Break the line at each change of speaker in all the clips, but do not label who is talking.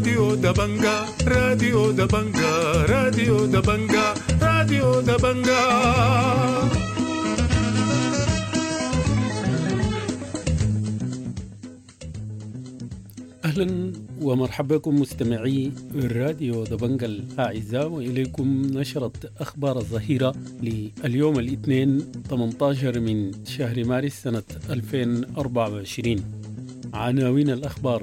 راديو دبنجا، راديو دبنجا، راديو دبنجا، راديو دبنجا.
أهلا ومرحبا بكم مستمعي راديو دبنجا الأعزاء، وإليكم نشرة أخبار الظهيرة لليوم الاثنين 18 من شهر مارس سنة 2024. عناوين الأخبار: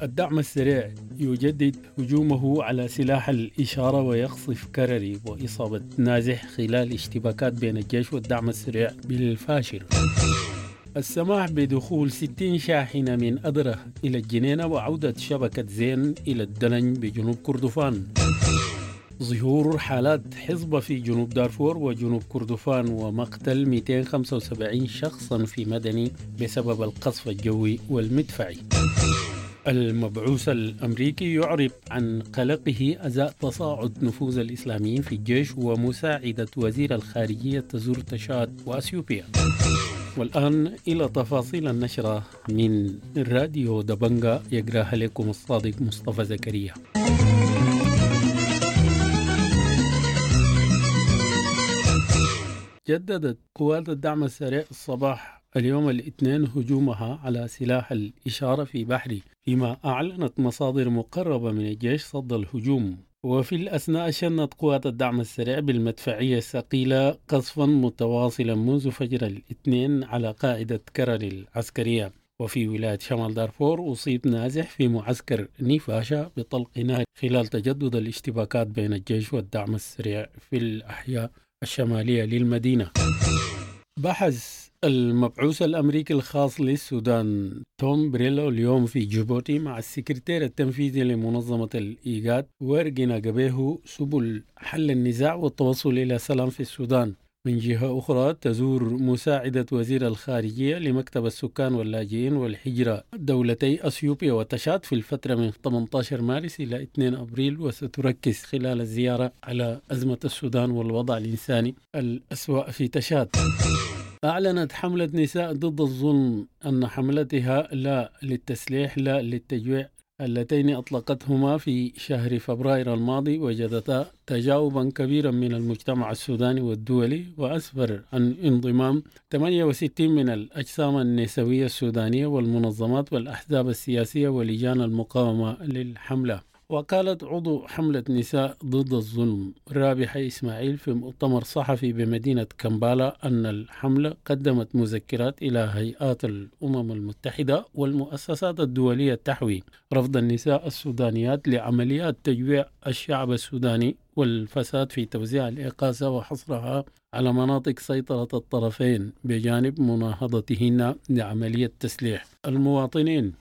الدعم السريع يجدد هجومه على سلاح الإشارة ويقصف كرري وإصابة نازح خلال اشتباكات بين الجيش والدعم السريع بالفاشر. السماح بدخول 60 شاحنة من أدرة إلى الجنينة وعودة شبكة زين إلى الدلنج بجنوب كردفان. ظهور حالات حصبة في جنوب دارفور وجنوب كردفان ومقتل 275 شخصا في مدني بسبب القصف الجوي والمدفعي. المبعوث الأمريكي يعرب عن قلقه أزاء تصاعد نفوذ الإسلاميين في الجيش ومساعدة وزير الخارجية تزور تشاد وأثيوبيا. والآن إلى تفاصيل النشرة من راديو دبنجا، يقراها لكم الصادق مصطفى زكريا. جددت قوات الدعم السريع الصباح اليوم الاثنين هجومها على سلاح الإشارة في بحري، فيما أعلنت مصادر مقربة من الجيش صد الهجوم. وفي الأثناء شنت قوات الدعم السريع بالمدفعية الثقيلة قصفا متواصلا منذ فجر الاثنين على قاعدة كرري العسكرية. وفي ولاية شمال دارفور أصيب نازح في معسكر نيفاشا بطلق نار خلال تجدد الاشتباكات بين الجيش والدعم السريع في الأحياء الشمالية للمدينة. بحث المبعوث الأمريكي الخاص للسودان توم بريلو اليوم في جيبوتي مع السكرتير التنفيذي لمنظمة الإيغاد ورجنا قبيه سبل حل النزاع والتوصل إلى سلام في السودان. من جهة أخرى تزور مساعدة وزير الخارجية لمكتب السكان واللاجئين والهجرة دولتي أثيوبيا وتشاد في الفترة من 18 مارس إلى 2 أبريل، وستركز خلال الزيارة على أزمة السودان والوضع الإنساني الأسوأ في تشاد. أعلنت حملة نساء ضد الظلم أن حملتها لا للتسليح لا للتجويع اللتين أطلقتهما في شهر فبراير الماضي وجدتا تجاوبا كبيرا من المجتمع السوداني والدولي، وأسفر عن انضمام 68 من الأجسام النسوية السودانية والمنظمات والأحزاب السياسية ولجان المقاومة للحملة. وقالت عضو حملة نساء ضد الظلم رابحة إسماعيل في مؤتمر صحفي بمدينة كمبالا أن الحملة قدمت مذكرات إلى هيئات الأمم المتحدة والمؤسسات الدولية تحوي رفض النساء السودانيات لعمليات تجويع الشعب السوداني والفساد في توزيع الإغاثة وحصرها على مناطق سيطرة الطرفين، بجانب مناهضتهن لعملية تسليح المواطنين.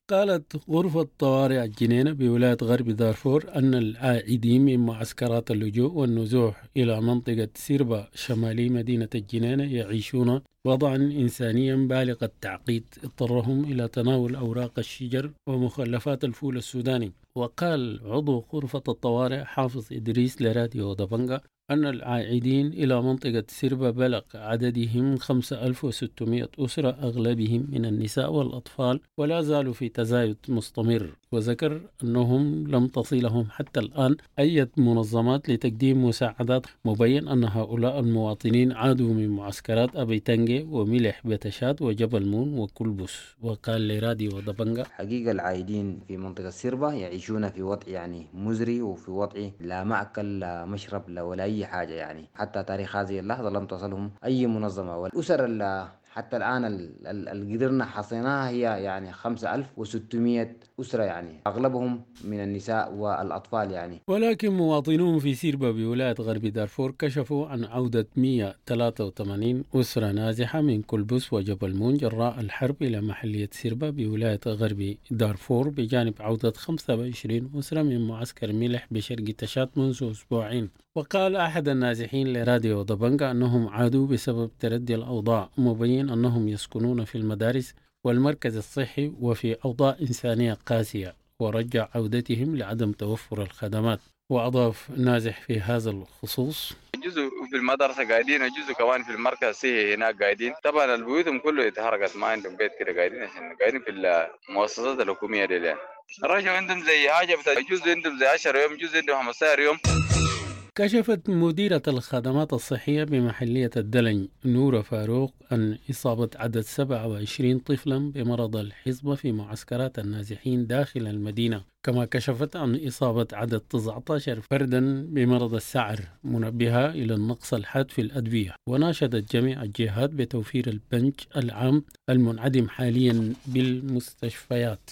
قالت غرفة طوارئ الجنينة بولاية غرب دارفور أن العائدين من معسكرات اللجوء والنزوح إلى منطقة سيربا شمالي مدينة الجنينة يعيشون وضعا إنسانيا بالغ التعقيد اضطرهم إلى تناول أوراق الشجر ومخلفات الفول السوداني. وقال عضو غرفة الطوارئ حافظ إدريس لراديو دبنجا أن العائدين إلى منطقة سيربا بلغ عددهم 5600 أسرة، أغلبهم من النساء والأطفال، ولا زالوا في تزايد مستمر. وذكر أنهم لم تصلهم حتى الآن أي منظمات لتقديم مساعدات، مبين أن هؤلاء المواطنين عادوا من معسكرات أبي تنجي وملح بتشاد وجبل مون وكلبس. وقال لراديو دبنجا:
حقيقة العائدين في منطقة سيربا يعيشون في وضع يعني مزري، وفي وضع لا مأكل لا مشرب لا ولا أي حاجة، يعني حتى تاريخ هذه اللحظة لم تصلهم أي منظمة. والأسر حتى الآن اللي قدرنا حصيناها هي يعني 5600 أسرة، يعني أغلبهم من النساء والأطفال يعني.
ولكن مواطنون في سيربا بولاية غرب دارفور كشفوا عن عودة 183 أسرة نازحة من كلبس وجبل مون جراء الحرب إلى محلية سيربا بولاية غرب دارفور، بجانب عودة 25 أسرة من معسكر ملح بشرق تشاد منذ أسبوعين. وقال أحد النازحين لراديو دبنجا أنهم عادوا بسبب تردي الأوضاع، مبين أنهم يسكنون في المدارس والمركز الصحي وفي أوضاع إنسانية قاسية، ورجع عودتهم لعدم توفر الخدمات. وأضاف نازح في هذا الخصوص:
جزء في المدرسة قاعدين، وجزء كمان في المركز الصحي هناك قاعدين. طبعا البيوتهم كله اتحرقت، ما عندهم بيت كده، قاعدين عشان قاعدين في المؤسسات الحكومية دي يعني. رجعوا عندهم زي حاجة بتاع جزء عندهم زي 10 يوم، جزء عندهم 15 يوم.
كشفت مديرة الخدمات الصحية بمحلية الدلنج نورة فاروق أن إصابة عدد 27 طفلا بمرض الحصبة في معسكرات النازحين داخل المدينة، كما كشفت عن إصابة عدد 19 فردا بمرض السعر، منبهة إلى النقص الحاد في الأدوية، وناشدت جميع الجهات بتوفير البنج العام المنعدم حاليا بالمستشفيات.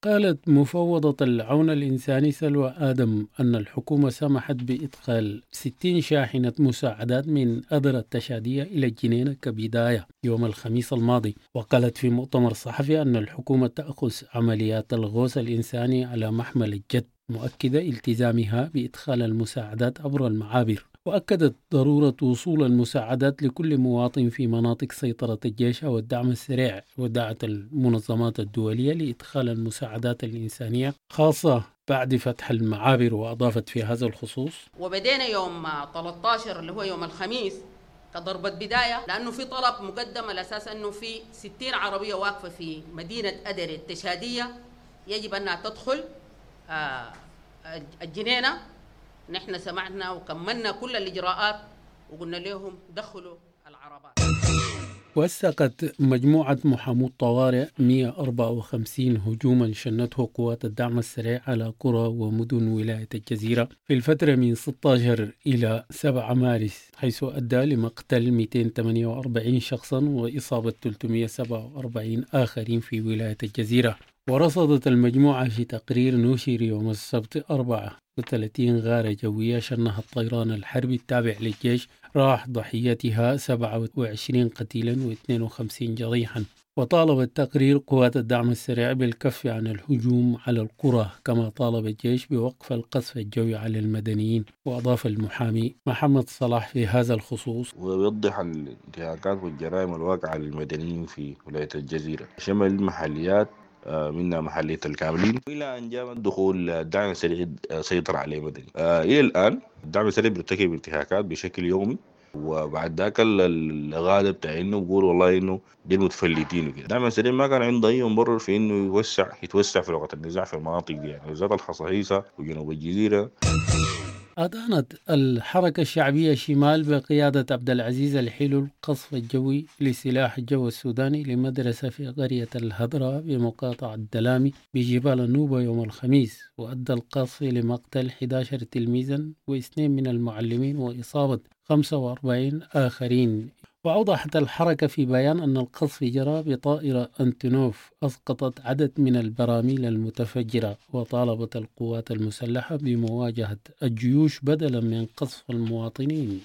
قالت مفوضة العون الإنساني سلوى آدم أن الحكومة سمحت بإدخال 60 شاحنة مساعدات من أدرة التشادية إلى الجنينة كبداية يوم الخميس الماضي. وقالت في مؤتمر صحفي أن الحكومة تأخذ عمليات الغوص الإنساني على محمل الجد، مؤكدة التزامها بإدخال المساعدات عبر المعابر. وأكدت ضرورة وصول المساعدات لكل مواطن في مناطق سيطرة الجيش أو الدعم السريع، ودعت المنظمات الدولية لإدخال المساعدات الإنسانية خاصة بعد فتح المعابر. وأضافت في هذا الخصوص:
وبدينا يوم 13 اللي هو يوم الخميس كضربة بداية، لأنه في طلب مقدم على أساس أنه في 60 عربية واقفة في مدينة أدري التشادية يجب أنها تدخل الجنينة. نحن سمعنا وكملنا كل الإجراءات وقلنا لهم دخلوا العربات.
وثقت مجموعة محامو الطوارئ 154 هجوما شنته قوات الدعم السريع على قرى ومدن ولاية الجزيرة في الفترة من 16 إلى 7 مارس، حيث أدى لمقتل 248 شخصا وإصابة 347 آخرين في ولاية الجزيرة. ورصدت المجموعة في تقرير نشر يوم السبت 34 غارة جوية شنها الطيران الحربي التابع للجيش، راح ضحيتها 27 قتيلا و52 جريحا. وطالب التقرير قوات الدعم السريع بالكف عن الهجوم على القرى، كما طالب الجيش بوقف القصف الجوي على المدنيين. وأضاف المحامي محمد صلاح في هذا الخصوص:
ويوضح الانتهاكات والجرائم الواقعة للمدنيين في ولاية الجزيرة، شمل المحليات منها محلية الكاملين، إلى أن جاء دخول الدعم السريع سيطر عليه مدني. إلى الآن الدعم السريع بيرتكب انتهاكات بشكل يومي، وبعد ذاك الغالب بتاع انه بيقول والله انه دي المتفلتين وكده. الدعم السريع ما كان عنده اي مبرر في انه يتوسع في لغة النزاع في المناطق دي، يعني بالذات الحصاحيصا وجنوب الجزيرة.
أدانت الحركة الشعبية شمال بقيادة عبد العزيز الحلو القصف الجوي لسلاح الجو السوداني لمدرسة في قرية الهدرة بمقاطعة الدلامي بجبال النوبة يوم الخميس، وأدى القصف لمقتل 11 تلميذا واثنين من المعلمين وإصابة 45 آخرين. وأوضحت الحركة في بيان أن القصف جرى بطائرة أنتونوف أسقطت عدد من البراميل المتفجرة، وطالبت القوات المسلحة بمواجهة الجيوش بدلا من قصف المواطنين.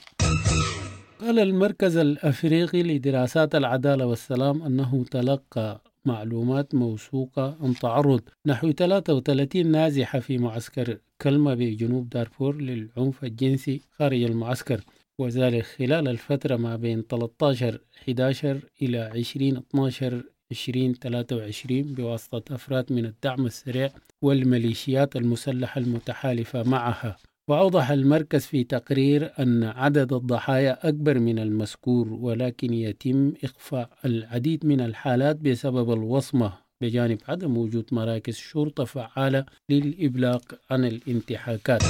قال المركز الأفريقي لدراسات العدالة والسلام أنه تلقى معلومات موثوقة عن تعرض نحو 33 نازحة في معسكر كلمة بجنوب دارفور للعنف الجنسي خارج المعسكر، وذلك خلال الفترة ما بين 13/11 إلى 20/12/2023 بواسطة أفراد من الدعم السريع والميليشيات المسلحة المتحالفة معها. وأوضح المركز في تقرير أن عدد الضحايا أكبر من المذكور، ولكن يتم إخفاء العديد من الحالات بسبب الوصمة، بجانب عدم وجود مراكز شرطة فعالة للإبلاغ عن الانتهاكات.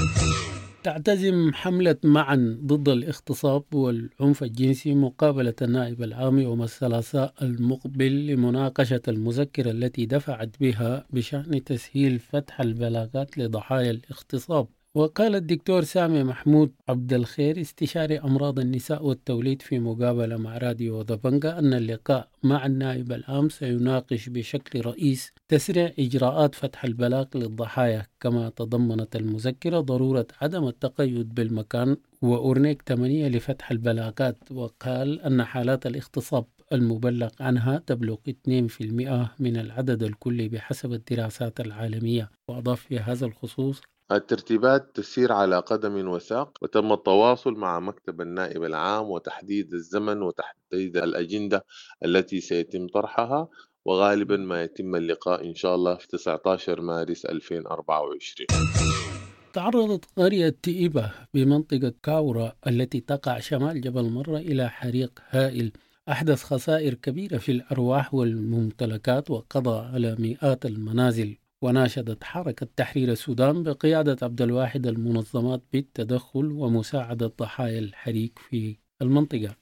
تعتزم حملة معا ضد الاغتصاب والعنف الجنسي مقابلة النائب العام يوم الثلاثاء المقبل لمناقشة المذكرة التي دفعت بها بشأن تسهيل فتح البلاغات لضحايا الاغتصاب. وقال الدكتور سامي محمود عبد الخير استشاري أمراض النساء والتوليد في مقابلة مع راديو دبنجا أن اللقاء مع النائب العام سيناقش بشكل رئيس تسريع إجراءات فتح البلاغ للضحايا، كما تضمنت المذكرة ضرورة عدم التقيد بالمكان وأورنيك 8 لفتح البلاغات. وقال أن حالات الاغتصاب المبلغ عنها تبلغ 2% من العدد الكلي بحسب الدراسات العالمية. وأضاف في هذا الخصوص:
الترتيبات تسير على قدم وساق، وتم التواصل مع مكتب النائب العام وتحديد الزمن وتحديد الأجندة التي سيتم طرحها، وغالبا ما يتم اللقاء إن شاء الله في 19 مارس 2024.
تعرضت قرية تئبة بمنطقة كاورا التي تقع شمال جبل مرة إلى حريق هائل أحدث خسائر كبيرة في الأرواح والممتلكات وقضى على مئات المنازل. وناشدت حركة تحرير السودان بقيادة عبد الواحد المنظمات بالتدخل ومساعدة ضحايا الحريق في المنطقة.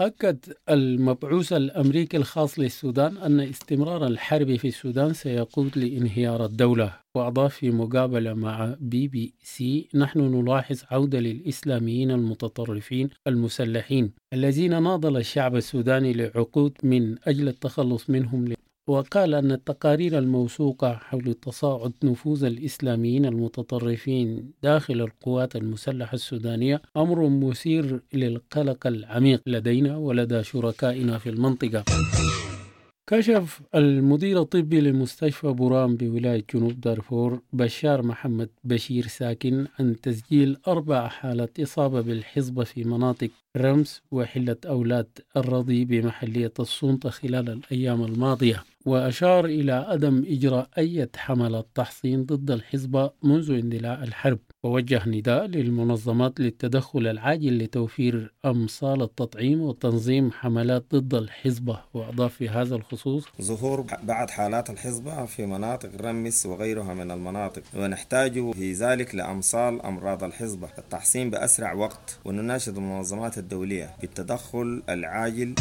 أكد المبعوث الأمريكي الخاص للسودان أن استمرار الحرب في السودان سيقود لانهيار الدولة. وأضاف في مقابلة مع BBC: نحن نلاحظ عودة للإسلاميين المتطرفين المسلحين الذين ناضل الشعب السوداني لعقود من أجل التخلص منهم. وقال أن التقارير الموثوقة حول تصاعد نفوذ الإسلاميين المتطرفين داخل القوات المسلحة السودانية أمر مثير للقلق العميق لدينا ولدى شركائنا في المنطقة. كشف المدير الطبي لمستشفى بورام بولاية جنوب دارفور بشار محمد بشير ساكن عن تسجيل 4 حالات إصابة بالحصبة في مناطق رمس وحلة أولاد الرضي بمحلية السلطة خلال الأيام الماضية. وأشار إلى عدم إجراء أي حملات تحصين ضد الحصبة منذ اندلاع الحرب، ووجه نداء للمنظمات للتدخل العاجل لتوفير أمصال التطعيم وتنظيم حملات ضد الحصبة. وأضاف في هذا الخصوص:
ظهور بعض حالات الحصبة في مناطق رمس وغيرها من المناطق، ونحتاج في ذلك لأمصال أمراض الحصبة التحصين بأسرع وقت، ونناشد المنظمات الدولية بالتدخل العاجل.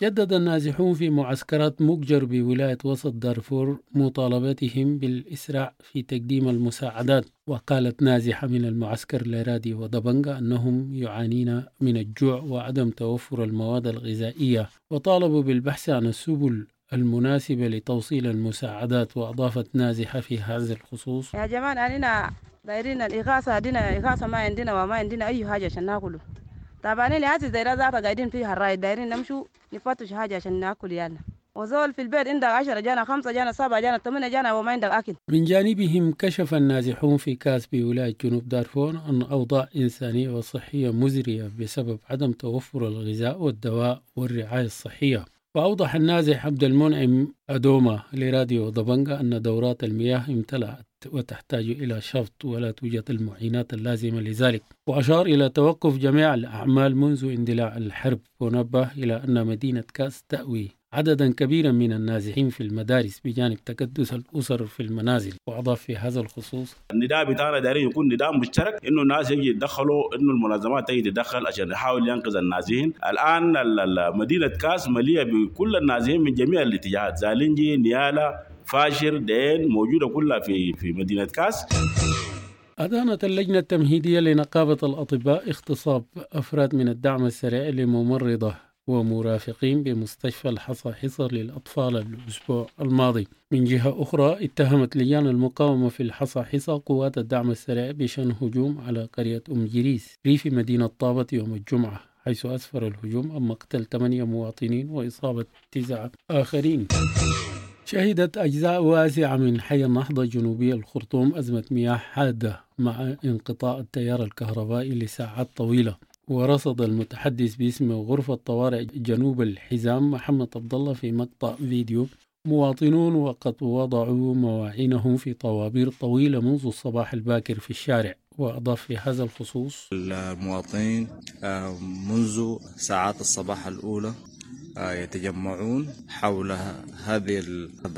جدد النازحون في معسكرات مقجر بولاية وسط دارفور مطالبتهم بالإسراع في تقديم المساعدات. وقالت نازحة من المعسكر لراديو ودبنجا أنهم يعانين من الجوع وعدم توفر المواد الغذائية، وطالبوا بالبحث عن السبل المناسبة لتوصيل المساعدات. وأضافت نازحة في هذا الخصوص:
يا جماعة أننا دايرين الإغاثة، دينا إغاثة ما عندنا وما عندنا أي حاجة عشان ناكله. طبعا اللي هسه دايرة ذاتها قاعدين فيها الراي، دايرين نمشوا نفتش حاجة عشان ناكل يانا. وزول في البيت عندك 10 جانا 5 جانا 7 جانا 8 جانا وما عندك أكل.
من جانبهم كشف النازحون في كاس بولاية جنوب دارفور أن أوضاع إنسانية وصحية مزرية بسبب عدم توفر الغذاء والدواء والرعاية الصحية. وأوضح النازح عبد المنعم أدوما لراديو دبنجا أن دورات المياه امتلأت وتحتاج إلى شفط ولا توجد المعينات اللازمة لذلك. وأشار إلى توقف جميع الأعمال منذ اندلاع الحرب، ونبه إلى أن مدينة كاس تأوي عددا كبيرا من النازحين في المدارس بجانب تكدس الأسر في المنازل. وأضاف في هذا الخصوص:
النداء بتاعنا دايرين يكون نداء مشترك، إنه الناس يجي يتدخلوا، إنه المنظمات تيجي تتدخل عشان يحاول ينقذ النازحين. الآن مدينة كاس مليئة بكل النازحين من جميع الاتجاهات، زالنجي، نيالا، فاشر، دين، موجودة كلها في مدينة كاس.
أدانت اللجنة التمهيدية لنقابة الأطباء اغتصاب أفراد من الدعم السريع لممرضة ومرافقين بمستشفى الحصاحيصا للأطفال الأسبوع الماضي. من جهة أخرى اتهمت لجان المقاومة في الحصاحيصا قوات الدعم السريع بشن هجوم على قرية أم جريس ريف مدينة طابة يوم الجمعة، حيث أسفر الهجوم عن مقتل 8 مواطنين وإصابة 9 آخرين. شهدت أجزاء واسعة من حي النهضة جنوبي الخرطوم أزمة مياه حادة مع انقطاع التيار الكهربائي لساعات طويلة. ورصد المتحدث باسم غرفة طوارئ جنوب الحزام محمد عبد الله في مقطع فيديو مواطنون وقد وضعوا مواعينهم في طوابير طويلة منذ الصباح الباكر في الشارع. وأضاف في هذا الخصوص:
المواطنين منذ ساعات الصباح الأولى يتجمعون حول هذه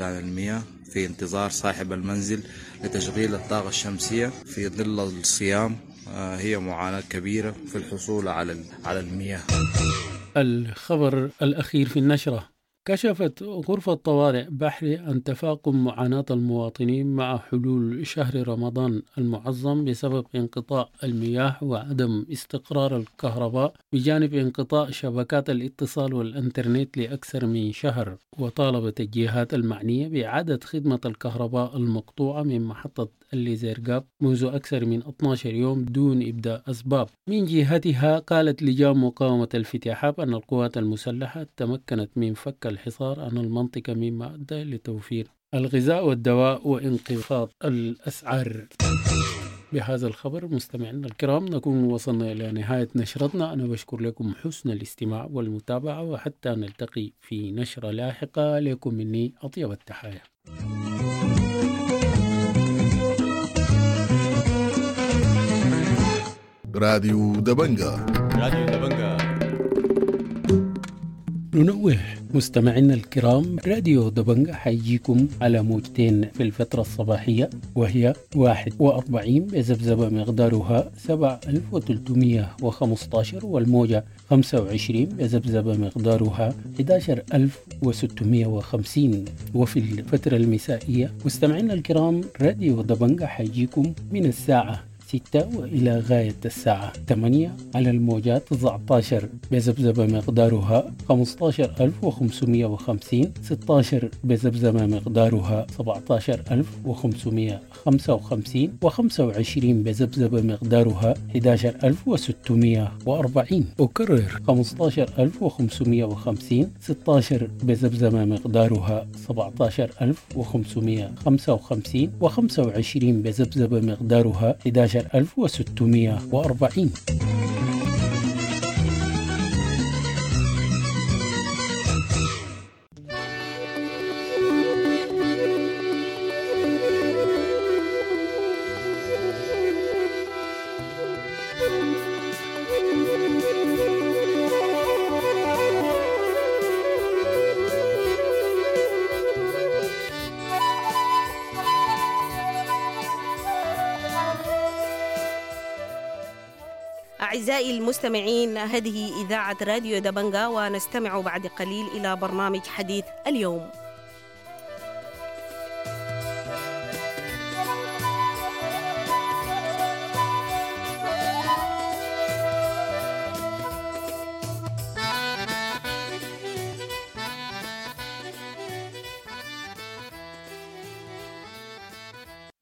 المياه في انتظار صاحب المنزل لتشغيل الطاقة الشمسية في ظل الصيام. هي معاناة كبيرة في الحصول على المياه.
الخبر الأخير في النشرة: كشفت غرفة طوارئ بحري عن تفاقم معاناة المواطنين مع حلول شهر رمضان المعظم بسبب انقطاع المياه وعدم استقرار الكهرباء، بجانب انقطاع شبكات الاتصال والإنترنت لأكثر من شهر. وطالبت الجهات المعنية بإعادة خدمة الكهرباء المقطوعة من محطة الليزرقاب منذ أكثر من 12 يوم دون إبداء أسباب. من جهتها قالت لجان مقاومة الفتيحاب أن القوات المسلحة تمكنت من فك الحصار عن المنطقة مما أدى لتوفير الغذاء والدواء وانخفاض الأسعار. بهذا الخبر مستمعينا الكرام نكون وصلنا إلى نهاية نشرتنا. أنا بشكر لكم حسن الاستماع والمتابعة، وحتى نلتقي في نشرة لاحقة لكم مني أطيب التحايا.
راديو دبنجا.
راديو دبنجا.
ننوه مستمعينا الكرام، راديو دبنجا حيجيكم على موجتين في الفترة الصباحية، وهي 41 بذبذبة مقدارها 7315، والموجة 25 بذبذبة مقدارها 11650. وفي الفترة المسائية مستمعينا الكرام، راديو دبنجا حيجيكم من الساعة 6 وإلى غاية الساعة 8 على الموجات 19 بذبذبة مقدارها 15550، 16 بذبذبة مقدارها 17555، و25 بذبذبة مقدارها 11640. أكرر 15550، 16 بذبذبة مقدارها 17555، و25 بذبذبة مقدارها 11640.
أعزائي المستمعين، هذه إذاعة راديو دبنجا، ونستمع بعد قليل إلى برنامج حديث اليوم.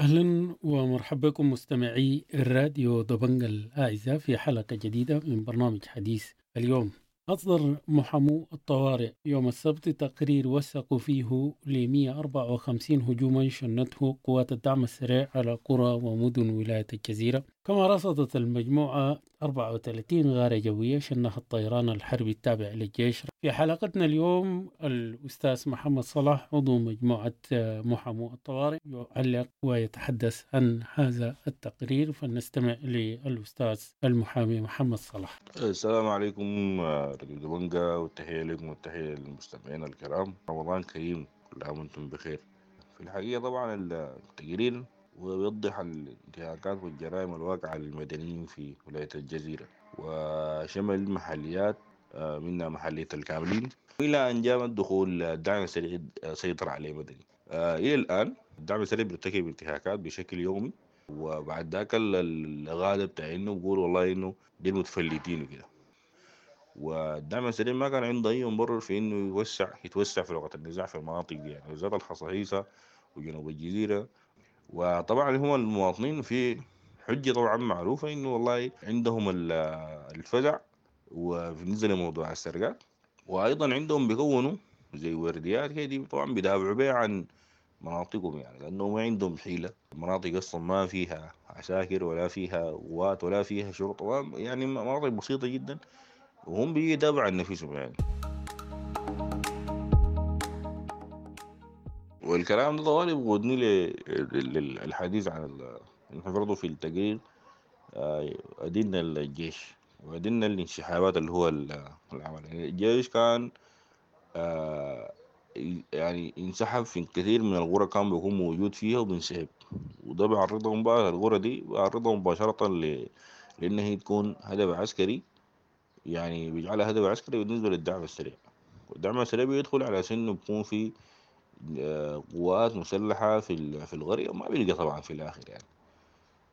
أهلا ومرحبا بكم مستمعي الراديو دبنجا الأعزاء في حلقة جديدة من برنامج حديث اليوم. أصدر محامو الطوارئ يوم السبت تقرير وثقوا فيه ل 154 هجوما شنته قوات الدعم السريع على قرى ومدن ولاية الجزيرة، كما رصدت المجموعة 34 غارة جوية شنها الطيران الحربي التابع للجيش. في حلقتنا اليوم الأستاذ محمد صلاح عضو مجموعة محامو الطوارئ يعلق ويتحدث عن هذا التقرير، فلنستمع للأستاذ المحامي محمد صلاح.
السلام عليكم راديو دبنجا، والتحية لكم والتحية للمستمعين الكرام. رمضان كريم، كل عام وانتم بخير. في الحقيقة طبعا التقرير ويوضح الانتهاكات والجرائم الواقعة للمدنيين في ولاية الجزيرة، وشمل محليات منها محلية الكاملين، إلى أن جاء دخول الدعم السريع سيطر عليه مدني. إلى الآن الدعم السريع بيرتكب انتهاكات بشكل يومي، وبعد ذاك الغالب بتاع إنه بيقول والله إنه دي متفلتين وكده. والدعم السريع ما كان عنده أي مبرر في إنه يتوسع في لغة النزاع في المناطق دي، يعني بالذات الحصاحيصة وجنوب الجزيرة. وطبعا هم المواطنين في حجة طبعا معروفة إنه والله عندهم الفزع، وبالنسبة لموضوع السرقات، وأيضا عندهم بيكونوا زي ورديات كده طبعا بيدافعوا بيها عن مناطقهم، يعني لأنه ما عندهم حيلة. المناطق أصلا ما فيها عساكر ولا فيها قوات ولا فيها شرطة، يعني مناطق بسيطة جدا، وهم بيدافعوا عن نفسهم يعني. والكلام ده طوالي بيقودني للحديث عن نحن برضه في التقرير أدينا الجيش وأدينا الانسحابات اللي هو العمل. يعني الجيش كان يعني انسحب في كثير من القرى كان بيكون موجود فيها وبينسحب، وده بيعرضهم بقى القرى دي بيعرضهم مباشرة لأن هي تكون هدف عسكري، يعني بيجعلها هدف عسكري بالنسبة للدعم السريع. والدعم السريع بيدخل على سنه بيكون في قوات مسلحة في القرية، وما بيلقى طبعا في الآخر يعني.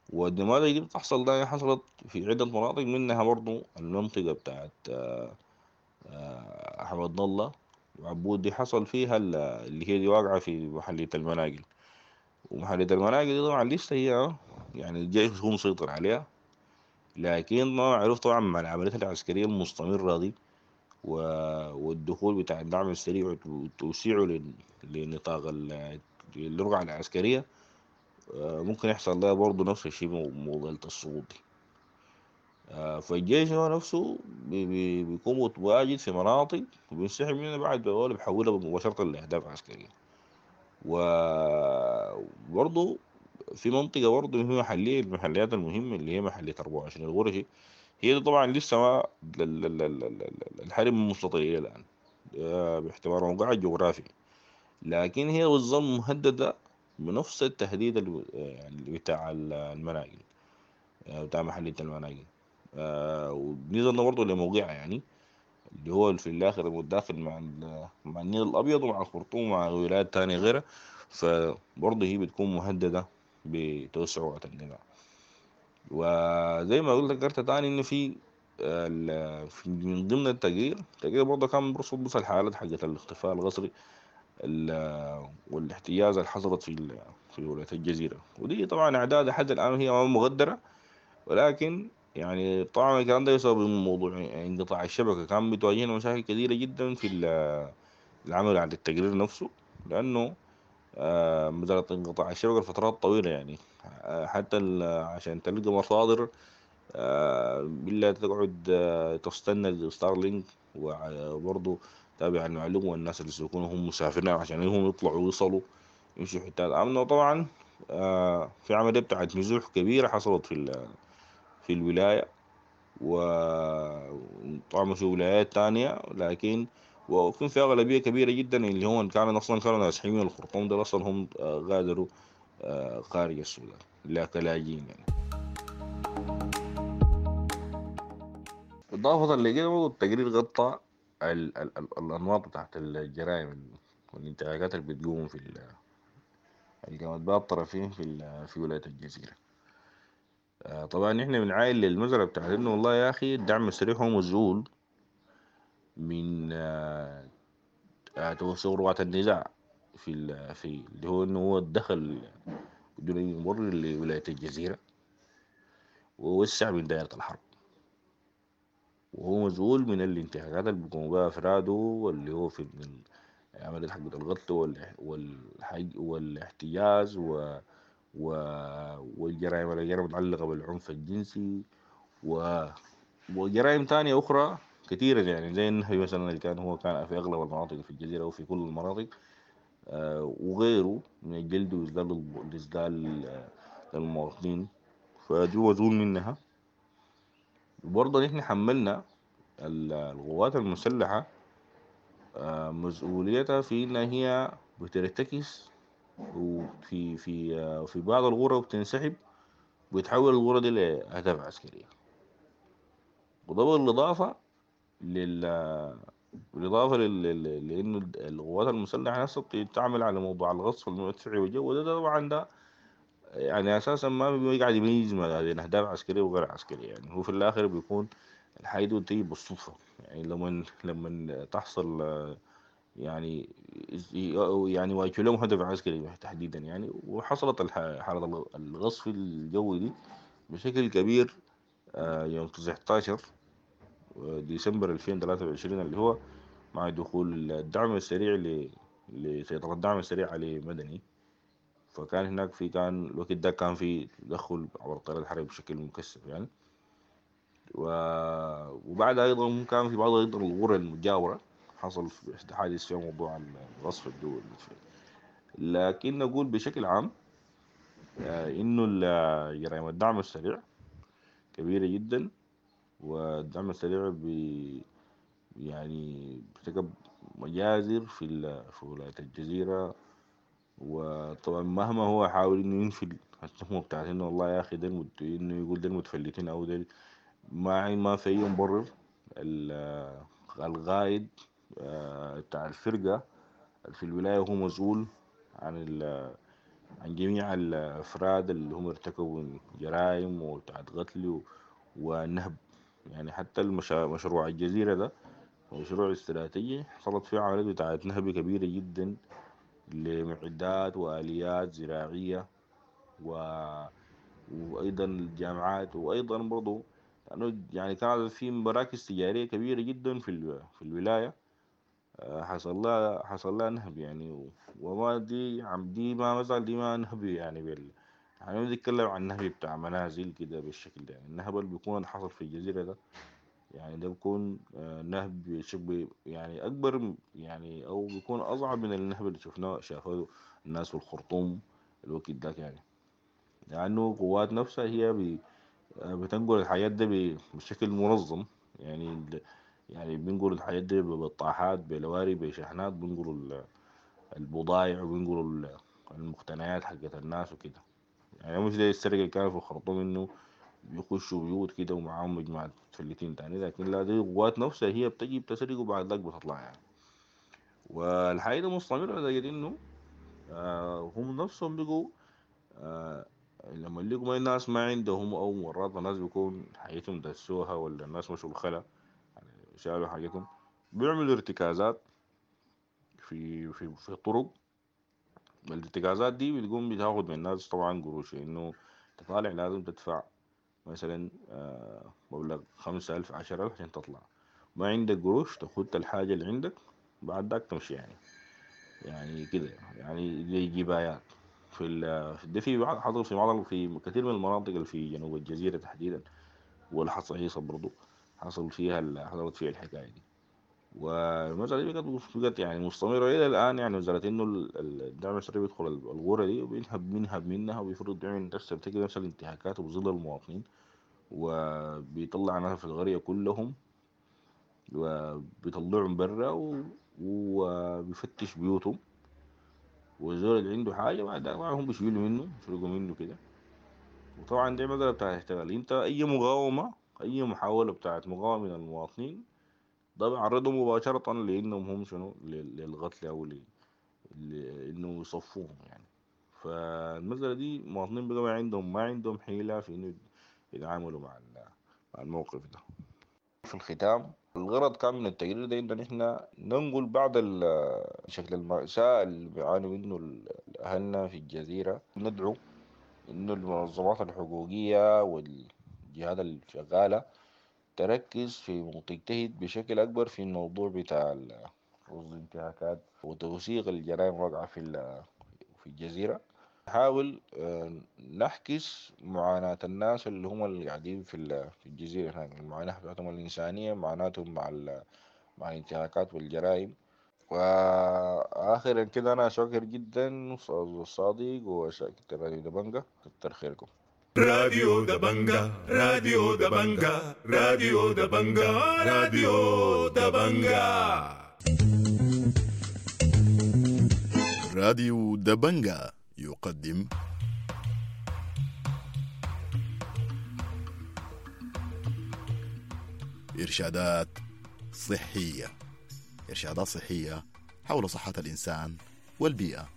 والنماذج دي بتحصل ده حصلت في عدة مناطق، منها برضو المنطقة بتاعت أحمد الله وعبود، دي حصل فيها اللي هي دي واقعة في محلية المناقل. ومحلية المناقل دي طبعا لسه هي يعني الجيش هو مسيطر عليها، لكن ما معروف طبعا مع العمليات العسكرية المستمرة دي والدخول بتاع الدعم السريع وتوسيعه لنطاق الرقعة العسكرية، ممكن يحصل لها برضه نفس الشيء موضوع السقوط دي. فالجيش هو نفسه بيكون متواجد في مناطق وبينسحب منها بعد بيحولها مباشرة لأهداف عسكرية. وبرضه في منطقة برضه هي محلية، المحليات المهمة اللي هي محلية 24 الغرشي، هي دي طبعا لسه ما الحرب مستطيلة إلى الآن باعتبار موقعها الجغرافي، لكن هي بتظل مهددة بنفس التهديد يعني بتاع المناقل، بتاع محلية المناقل. ونزلنا برضه لموقعها يعني اللي هو في الآخر متداخل مع النيل الأبيض ومع الخرطوم ومع ولايات تانية غيرها، فبرضه هي بتكون مهددة بتوسع وقت النزاع. وزي ما قلت ذكرت تاني إنه في من ضمن التقرير، التقرير برضه كان برصد بس الحالات حقت الاختفاء القسري والاحتجاز اللي حصلت في ولاية الجزيرة، ودي طبعا أعداد لحد الآن هي ما مقدرة، ولكن يعني طبعا الكلام ده بسبب موضوع انقطاع الشبكة كان بتواجهنا مشاكل كثيرة جدا في العمل على التقرير نفسه، لأنه مسألة انقطاع الشبكة لفترات طويلة يعني، حتى عشان تلقى مصادر بالله تقعد تستنى ستارلينك، وبرضه تابع المعلومة والناس اللي سيكونوا هم مسافرين عشان هم يطلعوا ويوصلوا يمشوا حتات آمنة. وطبعا في عملية بتاعت نزوح كبيرة حصلت في الولاية، وطبعا في ولايات تانية، لكن وكان في أغلبية كبيرة جدا اللي هم كانوا أصلا كانوا نازحين من الخرطوم ده أصلا هم غادروا خارج السودان لا كلاجئين يعني. إضافة لكده برضه التقرير غطى الأنماط بتاعت الجرائم والانتهاكات اللي بتقوم في اللي بها الطرفين في ولاية الجزيرة. طبعا احنا بنعاين للمزرعة بتاعت انه والله يا اخي الدعم السريع هو مسؤول من توسع رقعة النزاع في اللي هو انه هو دخل بدون اي مبرر لولاية الجزيرة ووسع من دائرة الحرب، وهو مسؤول من الانتهاكات اللي بيقوموا بها افراده واللي هو في من عملية حق القتل والاحتجاز والجرائم المتعلقة بالعنف الجنسي وجرائم تانية أخرى كثيرة يعني، زي النهب مثلا اللي كان هو كان في أغلب المناطق في الجزيرة وفي كل المناطق، وغيره من الجلد وإذلال للمواطنين، فدي مسؤول منها. وبرضه نحن حملنا القوات المسلحة مسؤوليتها في إنها هي بترتكز وفي في في بعض الغرة وبتنسحب وبتحول الغرة دي لأهداف عسكرية. وده بالإضافة بالإضافة لأنه القوات المسلحة نفسها بتعمل على موضوع الغصب المدفعي والجو ده طبعا ده يعني أساسا ما بيقعد يميز ما بين أهداف عسكرية وغير عسكرية يعني، هو في الآخر بيكون الحاجة دي بتيجي بالصدفة يعني، لما تحصل يعني واجهوا لهم هدف عسكري تحديدا يعني، وحصلت حالة الغصف الجوي دي بشكل كبير يوم 19 ديسمبر 2023 اللي هو مع دخول الدعم السريع لسيطرة الدعم السريع على مدني. فكان هناك في كان الوقت ده كان في تدخل عبر الطيران الحربي بشكل مكثف يعني، وبعد أيضا كان في بعض أيضا الغرة المجاورة حصل حادث في موضوع الغصف الجوي المدفعي. لكن نقول بشكل عام إنه جرائم الدعم السريع كبيرة جدا، والدعم السريع يعني ارتكب مجازر في ولاية الجزيرة. وطبعا مهما هو حاول إنه ينفي التهمة بتاعت إنه والله يا أخي ده إنه يقول ده المتفلتين أو ده ما في أي مبرر. الغايد بتاع الفرقة في الولاية هو مسؤول عن عن جميع الأفراد اللي هم ارتكبوا جرائم وبتاعت قتل ونهب يعني. حتى مشروع الجزيرة ده مشروع استراتيجي حصلت فيه عمليات بتاعت نهب كبيرة جدا لمعدات وآليات زراعية وأيضا الجامعات، وأيضا برضو لأنه يعني كان في مراكز تجارية كبيرة جدا في الولاية حصل لها نهب يعني. وما دي عم دي ما مثلا دي ما نهب يعني يعني بنتكلم عن نهب بتاع منازل كده بالشكل ده يعني. النهب اللي بيكون حصل في الجزيرة ده يعني ده بيكون نهب شبه يعني أكبر يعني، أو بيكون أصعب من النهب اللي شفناه شافوه الناس في الخرطوم الوقت ده يعني. لأنه قوات نفسها هي بتنقل الحاجات دي بشكل منظم. يعني بنقل الحاجات دي بالطاحات، بلواري، بشحنات، بنقلوا البضائع وبنقلوا المقتنيات حقت الناس وكده. يعني مش زي السرقة اللي كانت في الخرطوم إنه بيخشوا بيوت كده ومعاهم مجموعة متفلتين تاني، لكن لا، دي قوات نفسها هي بتجي بتسرق وبعد ذاك بتطلع يعني. والحاجة دي مستمرة لدرجة إنه هم نفسهم بقوا لما لقوا الناس ما عندهم، أو مرات الناس بيكون حاجتهم دسوها ولا الناس مشوا الخلا يعني شالوا حاجتهم، بيعملوا ارتكازات في في في الطرق. الارتكازات دي بتقوم بتاخد من الناس طبعا قروش، إنه تطالع لازم تدفع مثلا مبلغ 5000 10000 عشان تطلع. ما عندك قروش تاخد الحاجة اللي عندك بعد ذاك تمشي يعني كده، يعني زي جبايات في ده في بعض حصل في بعض في كثير من المناطق اللي في جنوب الجزيرة تحديدا، والحصيصة برضو حصل فيها حصلت فيها الحكاية دي. والمسألة دي بقت يعني مستمرة إلى الآن. يعني مسألة إنه الدعم السري بيدخل الغورة دي وبينهب منها وبيفرض بيعمل نفس بتجي نفس الانتهاكات وبيظل المواطنين وبيطلع ناس في القرية كلهم وبيطلعهم برا وبيفتش بيوتهم، والزول اللي عنده حاجة بعد هم بيشيلوا منه بيسرقوا منه كده. وطبعا دي مسألة بتاعت احتلال. انت أي مقاومة، أي محاولة بتاعت مقاومة من المواطنين ده بيعرضهم مباشرة لأنهم هم شنو للقتل أو لأنه يصفوهم يعني. فالمسألة دي المواطنين بقى ما عندهم حيلة في إنه يتعاملوا مع الموقف ده. في الختام، الغرض كان من التقرير ده إنه نحن ننقل بعض شكل المأساة اللي بيعانوا منه أهلنا في الجزيرة. ندعو إنه المنظمات الحقوقية والجهات الشغالة تركز في وتجتهد بشكل أكبر في الموضوع بتاع رصد الانتهاكات وتوثيق الجرائم الواقعة في الجزيرة. نحاول نحكس معاناة الناس اللي هم اللي قاعدين في الجزيرة هناك، المعاناة بتاعتهم الإنسانية، معاناتهم مع الانتهاكات والجرائم. وآخرا كده أنا شاكر جدا أستاذ الصادق وشاكر راديو دبنجة، كتر خيركم.
راديو دبنجة، راديو دبنجة، راديو دبنجة، راديو دبنجة.
راديو دبنجة يقدم إرشادات صحية، إرشادات صحية حول صحة الإنسان والبيئة.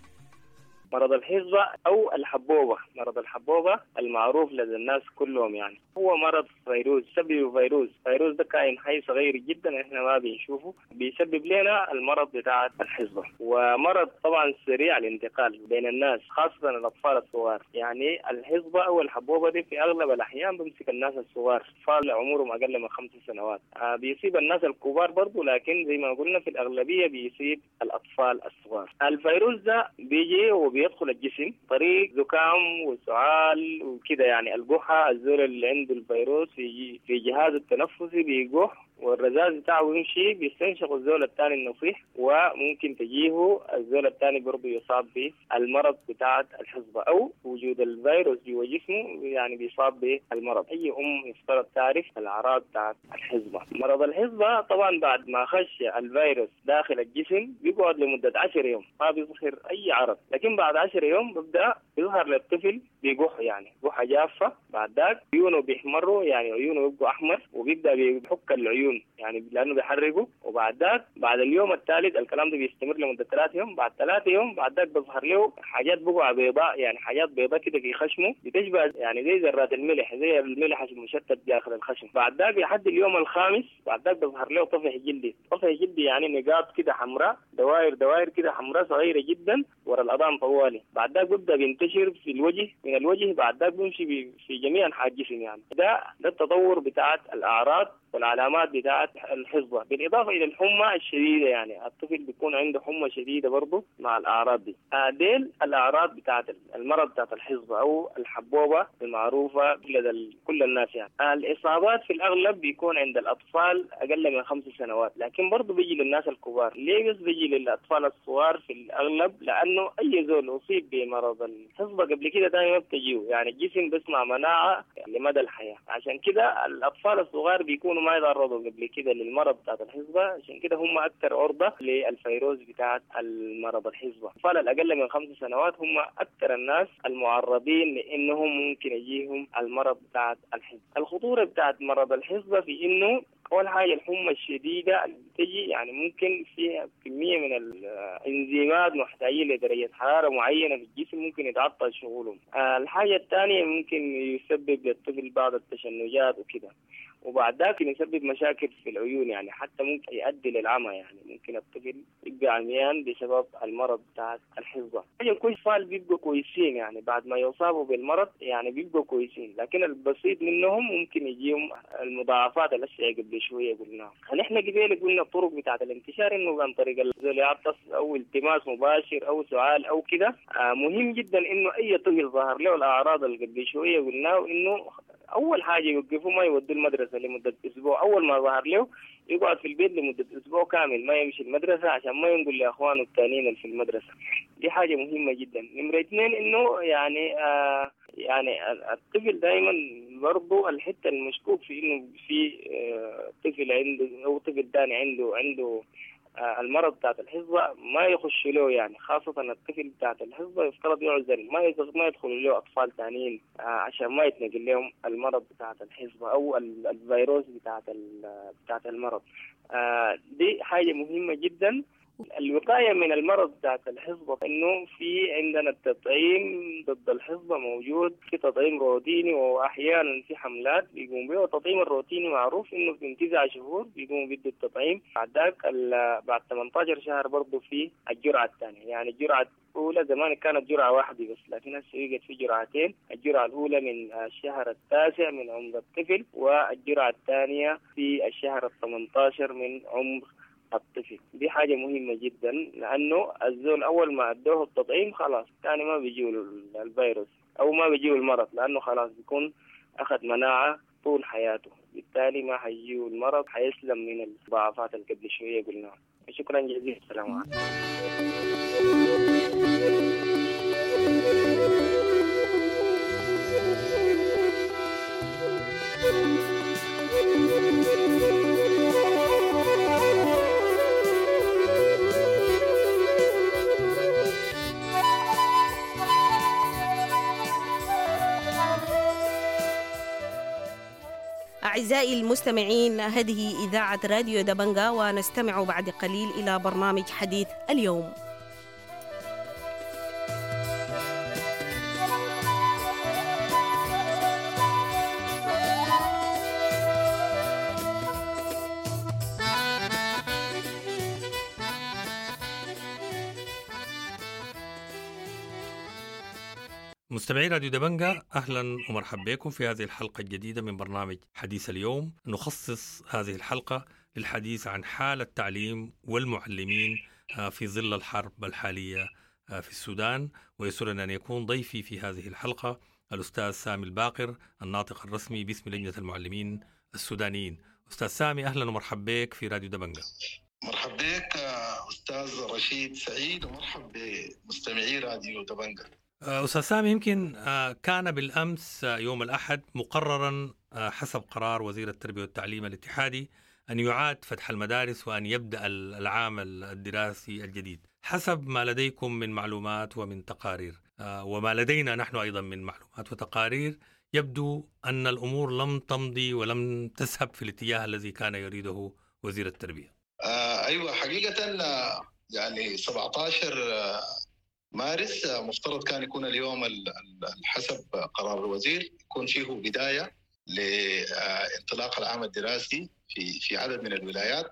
مرض الحصبة أو الحبوبة، مرض الحبوبة المعروف لدى الناس كلهم، يعني هو مرض فيروس، سببه فيروس. فيروس ده كائن حي صغير جدا احنا ما بنشوفه، بيسبب لنا المرض بتاع الحصبة. ومرض طبعا سريع الانتقال بين الناس خاصة الأطفال الصغار. يعني الحصبة أو الحبوبة دي في أغلب الأحيان بمسك الناس الصغار، أطفال عمرهم أقل من 5 سنوات. بيصيب الناس الكبار برضو، لكن زي ما قلنا في الأغلبية بيصيب الأطفال الصغار. الفيروس ده بيجي وبيدخل الجسم طريق زكام وسعال وكده، يعني القحة. الزول اللي عنده الفيروس في جهازه التنفسي بيقح، والرذاذ بتاعه يمشي بيستنشق الزول الثاني النصيح، وممكن تجيه الزول الثاني برضه يصاب بالمرض بتاع الحصبة، أو وجود الفيروس جوا جسمه يعني بيصاب بالمرض. أي أم يفترض تعرف الأعراض بتاعت الحصبة. مرض الحصبة طبعا بعد ما خش الفيروس داخل الجسم بيقعد لمدة 10 يوم ما بيظهر أي عرض، لكن بعد 10 يوم بيبدأ يظهر للطفل بيقح، يعني قحة جافة. بعد ذاك عيونه بيحمروا، يعني عيونه بيبقوا أحمر، وبيبدأ بيحك العيون يعني لأنه بيحرقه. وبعد ذاك بعد اليوم الثالث، الكلام ده بيستمر لمدة 3 يوم. بعد 3 يوم بعد ذاك بيظهر له حاجات بقع بيضاء، يعني حاجات بيضاء كده في خشمه بتشبه يعني زي ذرات الملح، زي الملح المشتت داخل الخشم. بعد ذاك لحد اليوم الخامس بعد ذاك بيظهر له طفح جلدي. طفح جلدي يعني نقاط كده حمراء، دوائر دوائر كده حمراء صغيرة جدا ورا الأذان طوالي. بعد ذاك بيبدأ بينتشر في الوجه، من الوجه بعد ذاك بيمشي في جميع أنحاء الجسم. يعني ده التطور بتاعت الأعراض والعلامات بتاعت الحصبة، بالإضافة إلى الحمى الشديدة. يعني الطفل بيكون عنده حمى شديدة برضه مع الأعراض دي. ديل الأعراض بتاعت المرض بتاعت الحصبة أو الحبوبة المعروفة لدى كل الناس. يعني الإصابات في الأغلب بيكون عند الأطفال أقل من 5 سنوات، لكن برضه بيجي للناس الكبار. ليه بس بيجي للأطفال الصغار في الأغلب؟ لأنه أي زول أصيب بمرض الحصبة قبل كده دائما بتجيه، يعني الجسم بيصنع مناعة لمدى الحياة. عشان كده الأطفال الصغار بيكونوا ما يتعرضوا قبل كده للمرض بتاعت الحصبة، عشان كده هم أكثر عرضة للفيروس بتاعت المرض الحصبة. الأطفال الأقل من 5 سنوات هم أكثر الناس المعرضين لأنهم ممكن يجيهم المرض بتاعت الحصبة. الخطورة بتاعت مرض الحصبة في إنه أول حاجة الحمى الشديدة اللي بتجي، يعني ممكن فيها كمية من الإنزيمات محتاجين لدرجة حرارة معينة في الجسم ممكن يتعطل شغلهم. الحاجة الثانية ممكن يسبب للطفل بعض التشنجات وكده، وبعد ذاك يسبب مشاكل في العيون، يعني حتى ممكن يؤدي للعمى، يعني ممكن الطفل يبقى عميان بسبب المرض بتاع الحصبة. يعني كل أطفال بيبقوا كويسين، يعني بعد ما يصابوا بالمرض يعني بيبقوا كويسين، لكن البسيط منهم ممكن يجيهم المضاعفات الأشياء قبل شوية قلناها. نحن قبل قلنا الطرق بتاعة الانتشار إنه عن طريق العطس أو التماس مباشر أو سعال أو كده. مهم جدا إنه أي طفل ظهر له الأعراض اللي قبل شوية قلناه إنه أول حاجة يوقفوا ما يودوا المدرسة لمدة أسبوع. أول ما ظهر له يقعد في البيت لمدة أسبوع كامل، ما يمشي المدرسة عشان ما ينقل لأخوانه الثانيين اللي في المدرسة. دي حاجة مهمة جدا. نمرة 2 إنه يعني الطفل دائما برضو الحتة المشكوك في إنه في طفل عنده أو طفل ثاني عنده المرض بتاعت الحصبة ما يخش له، يعني خاصة الطفل بتاعت الحصبة يفترض يعزل، ما يدخل له أطفال ثانيين عشان ما يتنقل لهم المرض بتاعت الحصبة أو الفيروس بتاعت المرض. دي حاجة مهمة جدا. الوقاية من المرض بتاعت الحصبة إنه في عندنا التطعيم ضد الحصبة موجود، في تطعيم روتيني وأحيانا في حملات بيقوم به. والتطعيم الروتيني معروف إنه من 9 شهور بيقوموا بيدوا التطعيم، بعد ذاك بعد 18 شهر برضه في الجرعة الثانية. يعني الجرعة الأولى زمان كانت جرعة واحدة بس، لكن هسه بقت في جرعتين، الجرعة الأولى من الشهر 9 من عمر الطفل، والجرعة الثانية في الشهر 18 من عمر الطفل. دي حاجة مهمة جدا، لأنه الزول أول ما أدوه التطعيم خلاص تاني ما بيجيه الفيروس أو ما بيجيه المرض، لأنه خلاص بيكون أخذ مناعة طول حياته، بالتالي ما حيجيه المرض، حيسلم من المضاعفات اللي قبل شوية قلناها. شكرا جزيلا، السلام عليكم.
أعزائي المستمعين، هذه إذاعة راديو دبنجا، ونستمع بعد قليل إلى برنامج حديث اليوم.
مستمعي راديو دبنجا، أهلا ومرحبا بكم في هذه الحلقة الجديدة من برنامج حديث اليوم. نخصص هذه الحلقة للحديث عن حال التعليم والمعلمين في ظل الحرب الحالية في السودان، ويسرنا أن يكون ضيفي في هذه الحلقة الأستاذ سامي الباقر، الناطق الرسمي باسم لجنة المعلمين السودانيين. أستاذ سامي، أهلا ومرحبا بك في راديو دبنجا.
مرحبا بك أستاذ رشيد سعيد، ومرحبا بمستمعي راديو دبنجا.
أستاذ سامي، يمكن كان بالأمس يوم الأحد مقررا حسب قرار وزير التربية والتعليم الاتحادي أن يعاد فتح المدارس وأن يبدأ العام الدراسي الجديد. حسب ما لديكم من معلومات ومن تقارير، وما لدينا نحن أيضا من معلومات وتقارير، يبدو أن الأمور لم تمضي ولم تذهب في الاتجاه الذي كان يريده وزير التربية.
أيوة، حقيقة يعني 17 مارس مفترض كان يكون اليوم حسب قرار الوزير يكون فيه بداية لانطلاق العام الدراسي في عدد من الولايات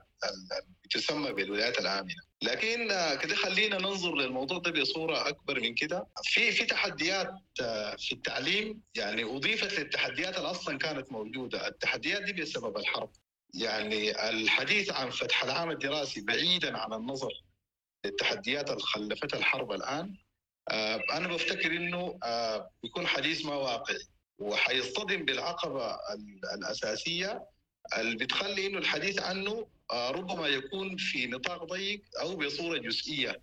تسمى بالولايات الآمنة. لكن كده خلينا ننظر للموضوع ده بصورة أكبر من كده. في تحديات في التعليم، يعني أضيفت للتحديات اللي أصلا كانت موجودة. التحديات دي بسبب الحرب، يعني الحديث عن فتح العام الدراسي بعيدا عن النظر للتحديات اللي خلفتها الحرب الآن، أنا بفتكر إنه بيكون حديث ما واقعي، وحيصطدم بالعقبة الأساسية اللي بتخلي إنه الحديث عنه ربما يكون في نطاق ضيق أو بصورة جزئية،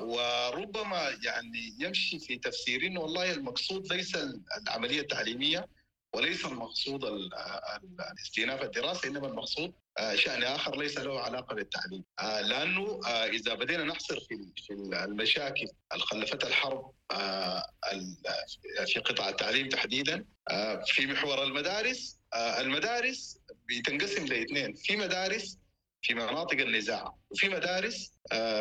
وربما يعني يمشي في تفسير إنه والله المقصود ليس العملية التعليمية وليس المقصود الاستئناف الدراسي، إنما المقصود شأن آخر ليس له علاقة بالتعليم. لأنه إذا بدينا نحصر في المشاكل اللي خلفتها الحرب في قطاع التعليم تحديدا في محور المدارس، المدارس بتنقسم لاثنين، في مدارس في مناطق النزاع وفي مدارس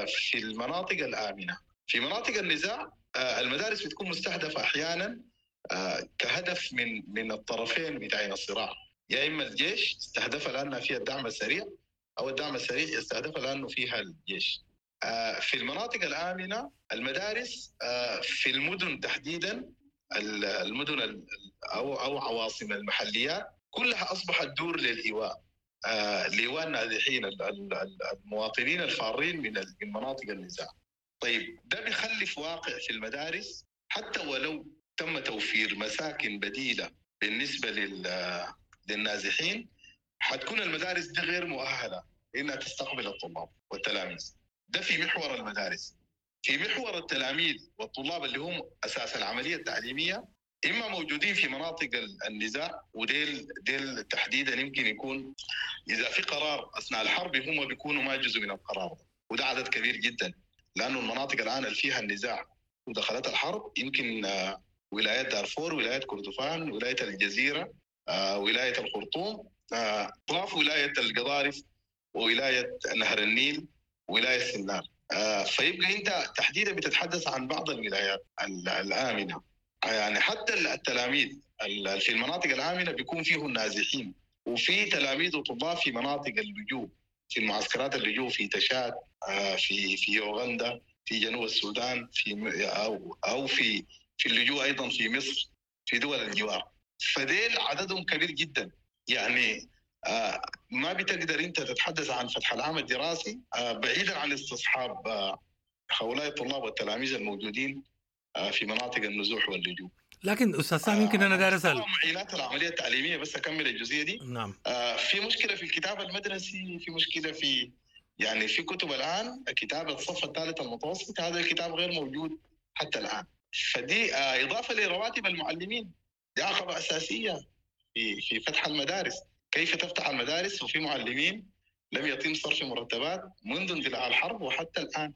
في المناطق الآمنة. في مناطق النزاع المدارس بتكون مستهدفة أحيانا كهدف من الطرفين بتاعين الصراع، يا إما الجيش استهدفها لأنها فيها الدعم السريع، أو الدعم السريع يستهدفها لأنه فيها الجيش. في المناطق الآمنة المدارس في المدن تحديدا، المدن أو عواصم المحليات كلها أصبحت دور للإيواء، لإيواء النازحين المواطنين الفارين من مناطق النزاع. طيب ده بيخلف واقع في المدارس، حتى ولو تم توفير مساكن بديلة بالنسبة للنازحين، حتكون المدارس دي غير مؤهلة إنها تستقبل الطلاب والتلاميذ. ده في محور المدارس. في محور التلاميذ والطلاب اللي هم أساس العملية التعليمية، إما موجودين في مناطق النزاع، وديل ديل تحديدا يمكن يكون إذا في قرار أثناء الحرب هم بيكونوا ما جزء من القرار ده، وده عدد كبير جدا، لأنه المناطق الآن اللي فيها النزاع ودخلت الحرب يمكن ولايات دارفور، ولاية كردفان، ولاية الجزيرة، ولاية الخرطوم، أطراف ولاية القضارف، وولاية نهر النيل، ولاية سنار. فيبقى أنت تحديدا بتتحدث عن بعض الولايات الآمنة. يعني حتى التلاميذ في المناطق الآمنة بيكون فيهم نازحين، وفي تلاميذ وطلاب في مناطق اللجوء، في المعسكرات اللجوء في تشاد، في أوغندا، في جنوب السودان، في أو في اللجوء أيضا في مصر، في دول الجوار. فديل عددهم كبير جدا. يعني ما بتقدر أنت تتحدث عن فتح العام الدراسي بعيدا عن استصحاب هؤلاء الطلاب والتلاميذ الموجودين في مناطق النزوح واللجوء.
لكن أستاذ سامي يمكن أنا داير أسأل
معينات العملية التعليمية، بس أكمل الجزئية دي.
نعم.
في مشكلة في الكتاب المدرسي، في مشكلة في يعني في كتب الآن، كتاب الصف الثالث المتوسط هذا الكتاب غير موجود حتى الآن. فدي إضافة لرواتب المعلمين، دي عقبة أساسية في فتح المدارس. كيف تفتح المدارس وفي معلمين لم يتم صرف مرتبات منذ اندلاع الحرب وحتى الآن؟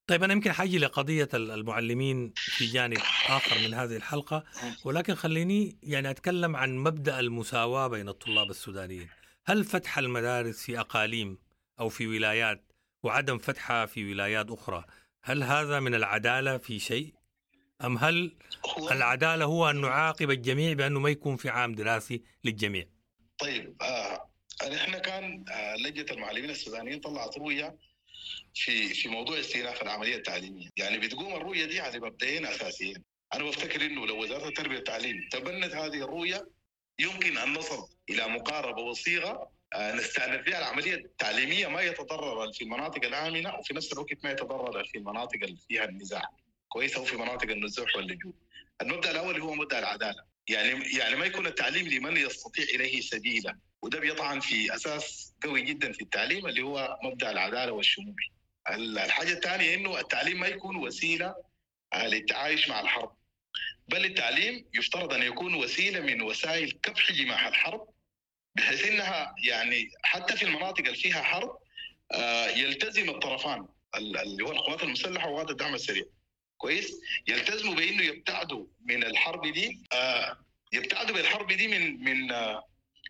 طيب أنا يمكن حاجي لقضية المعلمين في جانب آخر من هذه الحلقة، ولكن خليني يعني أتكلم عن مبدأ المساواة بين الطلاب السودانيين. هل فتح المدارس في أقاليم أو في ولايات وعدم فتحها في ولايات أخرى، هل هذا من العدالة في شيء؟ أم هل العدالة هو أن نعاقب الجميع بأنه ما يكون في عام دراسي للجميع؟
طيب نحن كان لجنة المعلمين السودانيين طلعت رؤية في موضوع استئناف العملية التعليمية. يعني بتقوم الرؤية دي على مبدئين أساسيين. أنا بفتكر إنه لو وزارة التربية والتعليم تبنت هذه الرؤية يمكن أن نصل إلى مقاربة وصيغة نستأنف فيها العملية التعليمية، ما يتضرر في المناطق الآمنة وفي نفس الوقت ما يتضرر في المناطق اللي فيها النزاع كويسة وفي مناطق النزوح واللجوء. المبدأ الأول هو مبدأ العدالة، يعني ما يكون التعليم لمن يستطيع إليه سبيلا، وده بيطعن في أساس قوي جدا في التعليم اللي هو مبدأ العدالة والشمول. الحاجة الثانية إنه التعليم ما يكون وسيلة للتعايش مع الحرب، بل التعليم يفترض أن يكون وسيلة من وسائل كبح جماح الحرب، بحيث إنها يعني حتى في المناطق اللي فيها حرب يلتزم الطرفان اللي هو القوات المسلحة وقوات الدعم السريع كويس، يلتزموا بإنه يبتعدوا من الحرب دي، يبتعدوا بالحرب دي من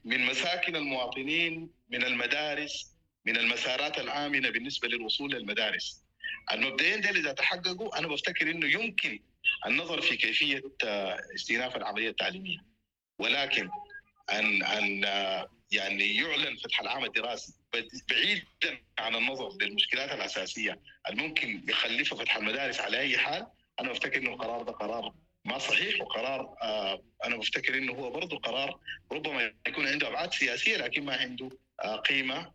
من مساكن المواطنين، من المدارس، من المسارات الآمنة بالنسبة للوصول للمدارس. المبدئين دول إذا تحققوا أنا بفتكر إنه يمكن النظر في كيفية استئناف العملية التعليمية، ولكن أن يعني يعلن فتح العام الدراسي بعيدا عن النظر للمشكلات الأساسية الممكن يخلفها فتح المدارس على أي حال، أنا بفتكر إنه القرار ده قرار ما صحيح، وقرار أنا بفتكر إنه هو برضه قرار ربما يكون عنده أبعاد سياسية لكن ما عنده قيمة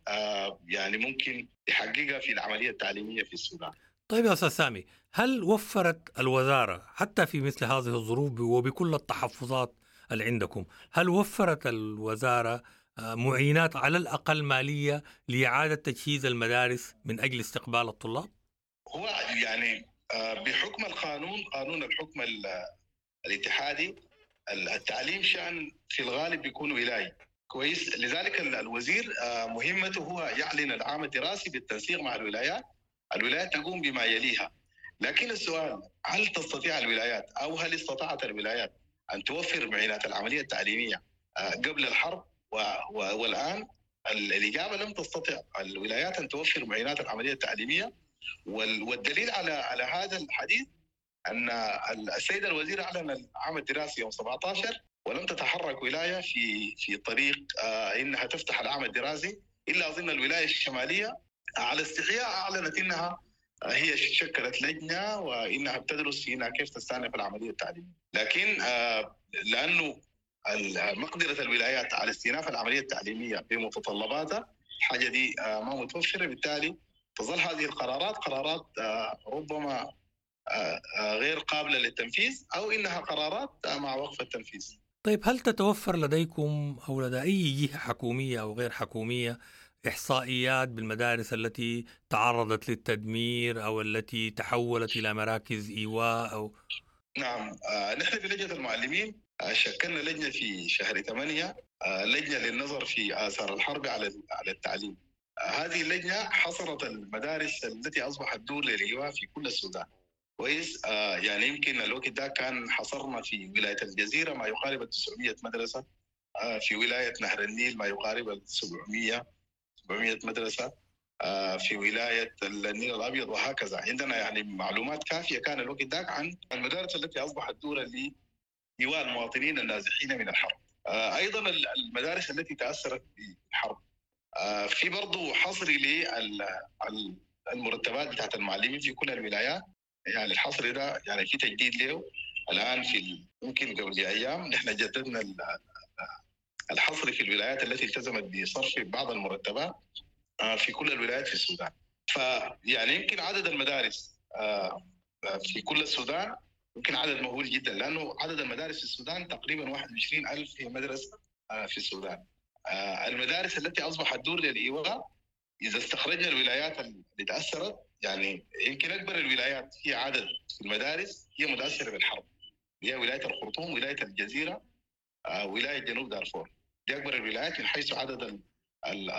يعني ممكن يحققها في العملية التعليمية في السودان.
طيب يا أستاذ سامي، هل وفرت الوزارة حتى في مثل هذه الظروف وبكل التحفظات اللي عندكم، هل وفرت الوزارة معينات على الأقل مالية لإعادة تجهيز المدارس من أجل استقبال الطلاب؟
هو يعني بحكم القانون، قانون الحكم الاتحادي، التعليم شأن في الغالب بيكون ولاي. كويس، لذلك الوزير مهمته هو يعلن العام الدراسي بالتنسيق مع الولايات، الولايات تقوم بما يليها. لكن السؤال، هل تستطيع الولايات أو هل استطاعت الولايات أن توفر معينات العملية التعليمية قبل الحرب والآن؟ الإجابة لم تستطع الولايات أن توفر معينات العملية التعليمية. والدليل على هذا الحديث أن السيد الوزير أعلن العام الدراسي يوم 17 ولم تتحرك ولاية في طريق إنها تفتح العام الدراسي، إلا أظن الولاية الشمالية على استحياء أعلنت إنها هي شكلت لجنة وإنها بتدرس في إنها كيف تستأنف العملية التعليمية. لكن لأنه مقدرة الولايات على استئناف العملية التعليمية بمتطلباتها الحاجة دي ما متوفرة، بالتالي تظل هذه القرارات قرارات ربما غير قابلة للتنفيذ أو إنها قرارات مع وقف التنفيذ.
طيب، هل تتوفر لديكم أو لدى أي جهة حكومية أو غير حكومية إحصائيات بالمدارس التي تعرضت للتدمير أو التي تحولت إلى مراكز إيواء أو؟
نعم، نحن في لجنة المعلمين شكلنا لجنة في شهر 8، لجنة للنظر في آثار الحرب على التعليم. هذه اللجنة حصرت المدارس التي أصبحت دور للإيواء في كل السودان. كويس، يعني يمكن الوقت ده كان حصرنا في ولاية الجزيرة ما يقارب 900 مدرسة، في ولاية نهر النيل ما يقارب 700 مدرسة، في ولاية النيل الأبيض، وهكذا. عندنا يعني معلومات كافية كان الوقت ذاك عن المدارس التي أصبحت دورا لإيواء المواطنين النازحين من الحرب. أيضا المدارس التي تأثرت بالحرب. في برضو حصر للمرتبات بتاعت المعلمين في كل الولايات، يعني الحصر ده يعني في تجديد له الآن في ممكن قبل أيام نحن جددنا الحصر في الولايات التي التزمت بصرف بعض المرتبات في كل الولايات في السودان. فيعني يمكن عدد المدارس في كل السودان يمكن عدد مهول جدا، لأنه عدد المدارس في السودان تقريبا 21,000 مدرسة في السودان. المدارس التي أصبحت دور للإيواء إذا استخرجنا الولايات اللي تأثرت، يعني يمكن أكبر الولايات في عدد في المدارس هي متأثرة بالحرب، هي ولاية الخرطوم، ولاية الجزيرة، ولاية جنوب دارفور. دي أكبر الولايات من حيث عدد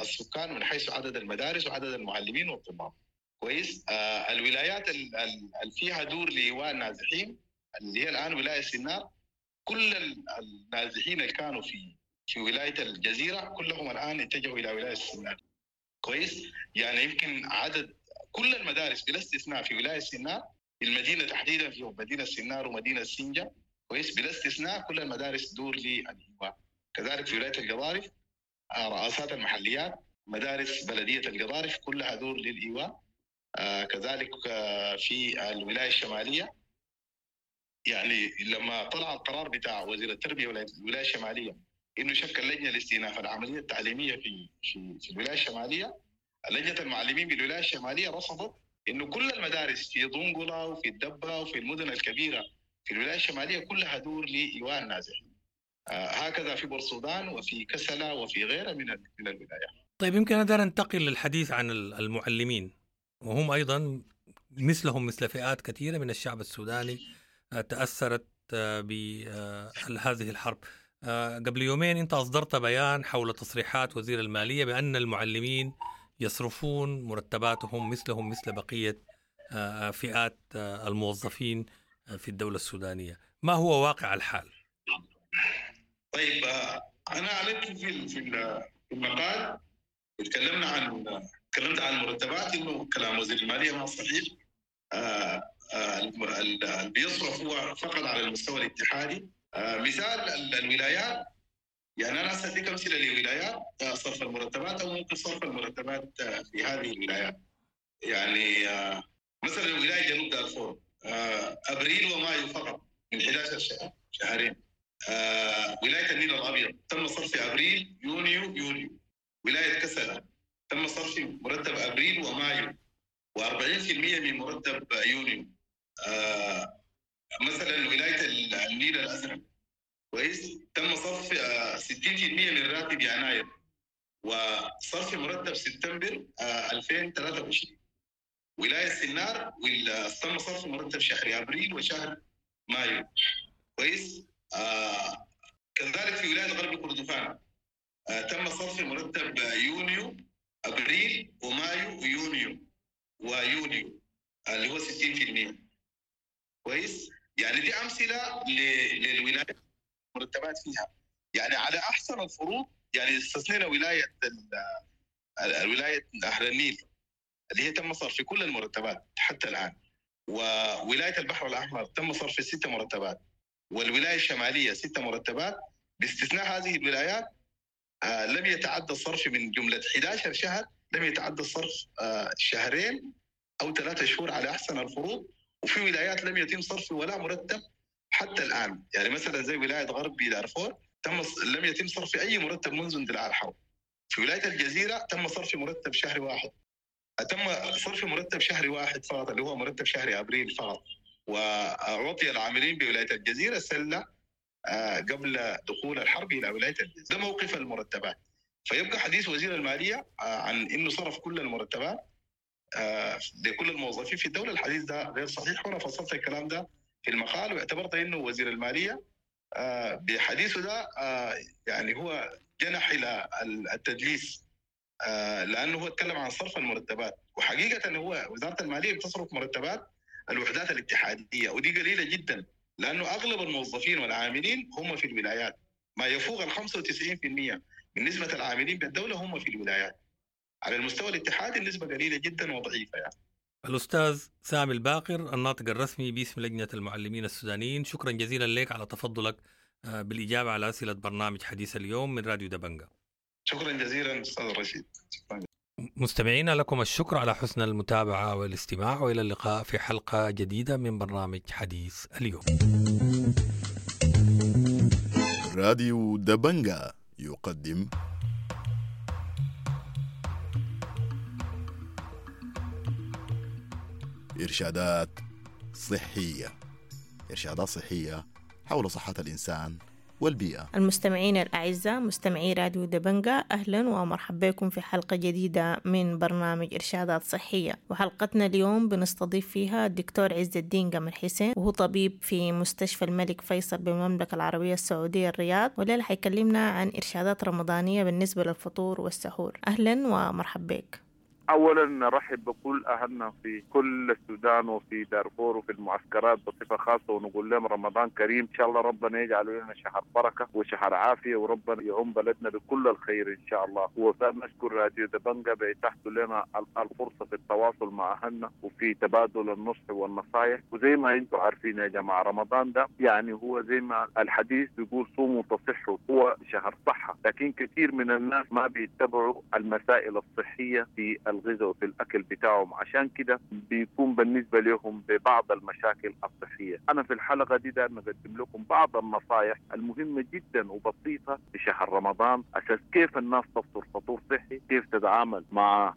السكان، من حيث عدد المدارس وعدد المعلمين والطلاب. كويس. الولايات اللي فيها دور لإيواء النازحين اللي هي الآن ولاية سنار، كل النازحين اللي كانوا في ولاية الجزيرة كلهم الآن اتجهوا إلى ولاية سنار. كويس. يعني يمكن عدد كل المدارس بلا استثناء في ولاية سنار، المدينة تحديدا في مدينة سنار ومدينة سنجة، كويس، بلا استثناء كل المدارس دور للإيواء. كذلك في ولاية القضارف رئاسات المحليات، مدارس بلدية القضارف كلها دور للإيواء. كذلك في الولاية الشمالية، يعني لما طلع القرار بتاع وزير التربية والولاية الشمالية إنه شكل لجنة لاستئناف العملية التعليمية في في الولاية الشمالية، لجنة المعلمين بالولاية الشمالية رصدت إنه كل المدارس في دنقلة وفي الدبة وفي المدن الكبيرة في الولاية الشمالية كلها دور لإيواء النازحين. هكذا في بورسودان وفي كسلة وفي غيرها من الولايات.
طيب، يمكن أقدر أنتقل للحديث عن المعلمين، وهم أيضا مثلهم مثل فئات كثيرة من الشعب السوداني تأثرت بهذه الحرب. قبل يومين أنت أصدرت بيان حول تصريحات وزير المالية بأن المعلمين يصرفون مرتباتهم مثلهم مثل بقية فئات الموظفين في الدولة السودانية. ما هو واقع الحال؟
طيب، أنا أعلنت في المقال، تكلمت عن المرتبات، إنه كلام وزير المالية ما صحيح. اللي بيصرف هو فقط على المستوى الاتحادي. مثال الولايات، يعني أنا أديك أمثلة لولايات صرف المرتبات أو ممكن صرف المرتبات في هذه الولايات. يعني مثلا ولاية جنوب دارفور أبريل ومايو فقط من 11 شهر، شهرين. ولاية النيل الأبيض تم صرف في أبريل، يونيو، يوليو. ولاية كسلا تم صرف مرتب ابريل ومايو و40% من مرتب يونيو. مثلا ولاية النيل الازرق، كويس، تم صرف 60% من راتب يناير وصرف مرتب سبتمبر 2023. ولاية سنار تم صرف مرتب شهر ابريل وشهر مايو، كويس. كذلك في ولاية غرب كردفان تم صرف مرتب يونيو، ابريل ومايو ويونيو اللي هو 60%، كويس. يعني دي امثلة للولايات مرتبات فيها يعني على احسن الفروض. يعني استثنينا ولاية الولاية نهر النيل اللي هي تم صرف كل المرتبات حتى الان، وولاية البحر الاحمر تم صرف 6 مرتبات، والولاية الشمالية 6 مرتبات. باستثناء هذه الولايات لم يتعدى الصرف من جملة 11 شهر، لم يتعدى الصرف شهرين او 3 شهور على احسن الفروض. وفي ولايات لم يتم صرف ولا مرتب حتى الان، يعني مثلا زي ولاية غرب دارفور لم يتم صرف اي مرتب منذ اندلاع الحرب. في ولاية الجزيرة تم صرف مرتب شهر واحد، تم صرف مرتب شهر واحد فقط اللي هو مرتب شهر ابريل فقط، واعطي العاملين بولاية الجزيرة سله قبل دخول الحرب الى ولاية الجزيرة. ده موقف المرتبات. فيبقى حديث وزير المالية عن انه صرف كل المرتبات لكل الموظفين في الدولة، الحديث ده غير صحيح، وانا فصلت الكلام ده في المقال واعتبرت انه وزير المالية بحديثه ده يعني هو جنح الى التدليس، لانه هو اتكلم عن صرف المرتبات، وحقيقة هو وزارة المالية بتصرف مرتبات الوحدات الاتحادية، ودي قليله جدا لانه اغلب الموظفين والعاملين هم في الولايات، ما يفوق ال 95% من نسبه العاملين بالدولة هم في الولايات. على المستوى الاتحادي النسبة قليله جدا وضعيفه يعني.
الأستاذ سامي الباقر الناطق الرسمي باسم لجنة المعلمين السودانيين، شكرا جزيلا لك على تفضلك بالإجابة على أسئلة برنامج حديث اليوم من راديو دبنجة.
شكرا جزيلا أستاذ رشيد. شكرا.
مستمعينا لكم الشكر على حسن المتابعة والاستماع، وإلى اللقاء في حلقة جديدة من برنامج حديث اليوم.
راديو دبنجة يقدم إرشادات صحية، إرشادات صحية حول صحة الإنسان والبيئة.
المستمعين الأعزاء مستمعي راديو دبنجة، أهلا ومرحبا بكم في حلقة جديدة من برنامج إرشادات صحية. وحلقتنا اليوم بنستضيف فيها الدكتور عز الدين قمر حسين، وهو طبيب في مستشفى الملك فيصل بالمملكة العربية السعودية الرياض، والليلة حيكلمنا عن إرشادات رمضانية بالنسبة للفطور والسحور. أهلا ومرحبا بك.
أولا نرحب بكل أهلنا في كل السودان وفي دارفور وفي المعسكرات بصفة خاصة، ونقول لهم رمضان كريم، إن شاء الله ربنا يجعل لنا شهر بركة وشهر عافية، وربنا يعم بلدنا بكل الخير إن شاء الله. ونشكر راديو دبنجة بإتاحته لنا الفرصة في التواصل مع أهلنا وفي تبادل النصح والنصائح. وزي ما أنتم عارفين يا جماعة، رمضان ده يعني هو زي ما الحديث بيقول صوموا تصحوا، هو شهر صحة، لكن كثير من الناس ما بيتبعوا المسائل الصحية في الغذاء وفي الأكل بتاعهم، عشان كده بيكون بالنسبة لهم ببعض المشاكل الصحية. أنا في الحلقة دي ده نقدم لكم بعض النصائح المهمة جدا وبسيطة في شهر رمضان، أساس كيف الناس تفطر فطور صحي، كيف تتعامل مع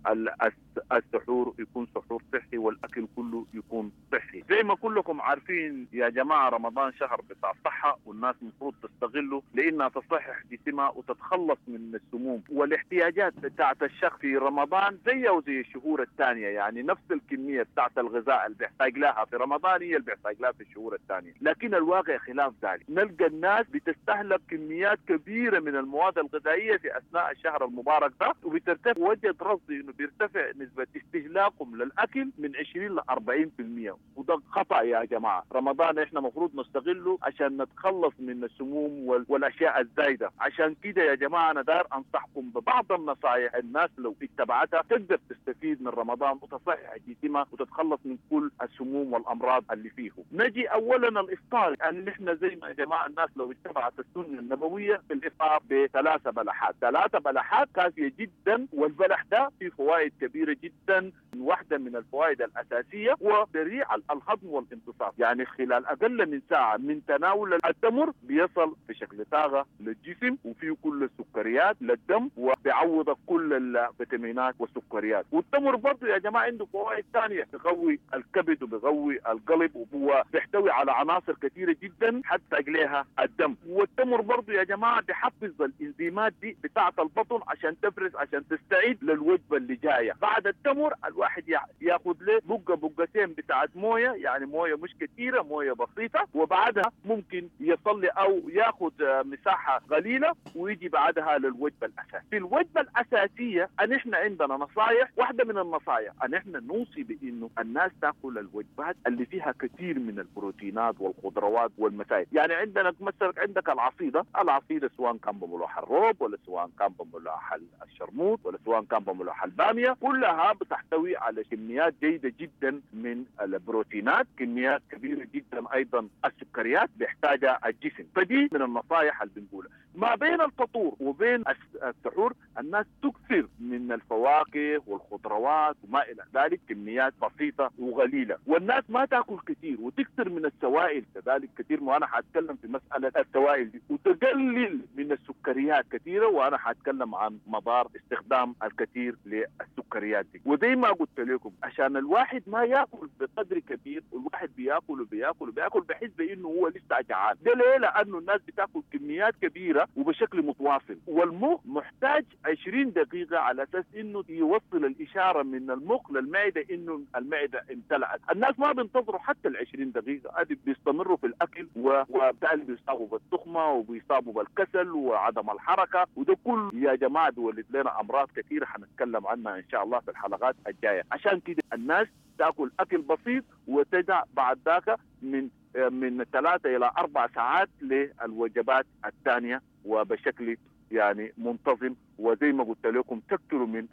السحور يكون سحور صحي، والأكل كله يكون صحي. زي ما كلكم عارفين يا جماعة، رمضان شهر بتاع صحة، والناس المفروض تستغله لأنها تصحح جسمها وتتخلص من السموم والاحتياجات بتاعت الشخص في رمضان زي وزي الشهور الثانية، يعني نفس الكمية بتاعت الغذاء اللي بيحتاج لها في رمضان هي اللي بيحتاج لها في الشهور الثانية. لكن الواقع خلاف ذلك، نلقى الناس بتستهلك كميات كبيرة من المواد الغذائية في أثناء الشهر المبارك ده، وبترتفع وجد رصدي إنه بيرتفع نسبة استهلاكهم للأكل من 20 ل 40%، وده خطأ يا جماعة. رمضان إحنا مفروض نستغله عشان نتخلص من السموم والأشياء الزايدة. عشان كده يا جماعة أنا دار أنصحكم ببعض النصائح الناس لو اتبعتها تقدر تستفيد من رمضان وتصحح جسمها وتتخلص من كل السموم والأمراض اللي فيه. نجي أولا الإفطار، يعني نحن زي ما يا جماعة الناس لو اتبعت السنة النبوية في الإفطار ب3 بلحات، 3 بلحات كافية جدا، والبلح ده فيه فوائد كبيرة جدا واحدة من الفوائد الأساسية هو سريع الهضم والامتصاص، يعني خلال أقل من ساعة من تناول التمر بيصل في شكل طاقة للجسم، وفيه كل السكريات للدم، وبيعوض كل الفيتامينات والسكريات. والتمر برضه يا جماعة عنده فوائد ثانية، بيقوي الكبد وبيقوي القلب، وهو بيحتوي على عناصر كثيرة جدا حتى لها الدم. والتمر برضه يا جماعة بيحفز الإنزيمات دي بتاعة البطن عشان تفرز، عشان تستعيد للوجبة اللي جاية. بعد التمر الواحد ياخذ له بقة بقتين بتاعة موية، يعني موية مش كثيرة، موية بسيطة، وبعدها ممكن يصلي أو ياخذ مساحة قليلة ويجي بعدها للوجبة الأساسية. في الوجبة الأساسية أن إحنا عندنا نصائح، واحدة من النصائح أن إحنا نوصي بإنه الناس تأكل الوجبات اللي فيها كثير من البروتينات والخضروات والمسائل. يعني عندنا مثلا عندك العصيدة، العصيدة سواء كان بملوح الروب ولا سواء كان بملوح الشرموط ولا سواء كان بملوح البامية، كلها بتحتوي على كميات جيدة جدا من البروتينات، كميات كبيرة جدا أيضا السكريات بيحتاجها الجسم. فدي من النصائح اللي بنقولها. ما بين الفطور وبين السحور الناس تكثر من الفواكه والخضروات وما إلى ذلك، كميات بسيطة وقليلة، والناس ما تأكل كثير وتكثر من السوائل كذلك كثير، وأنا حأتكلم في مسألة السوائل دي، وتقلل من السكريات كثيرة، وأنا حأتكلم عن مضار استخدام الكثير للسكريات دي. وزي ما قلت لكم عشان الواحد ما يأكل بقدر كبير، والواحد بيأكل وبيأكل وبيأكل بحس بأنه هو لسه جعان. ده ليه؟ لأنه الناس بتأكل كميات كبيرة وبشكل متواصل، والمخ محتاج 20 دقيقة على أساس إنه يوصل الإشارة من المخ للمعدة إنه المعدة امتلأت. الناس ما بينتظروا حتى ال 20 دقيقة، هذه بيستمروا في الأكل، وبالتالي بيصابوا بالتخمة وبيصابوا بالكسل وعدم الحركة، وده كله يا جماعة بيولد لنا أمراض كثيرة حنتكلم عنها إن شاء الله في الحلقات الجاية. عشان كده الناس تأكل أكل بسيط وتدع بعد ذاك من 3 إلى 4 ساعات للوجبات الثانية، وبشكل يعني منتظم. وزي ما قلت لكم تكثروا من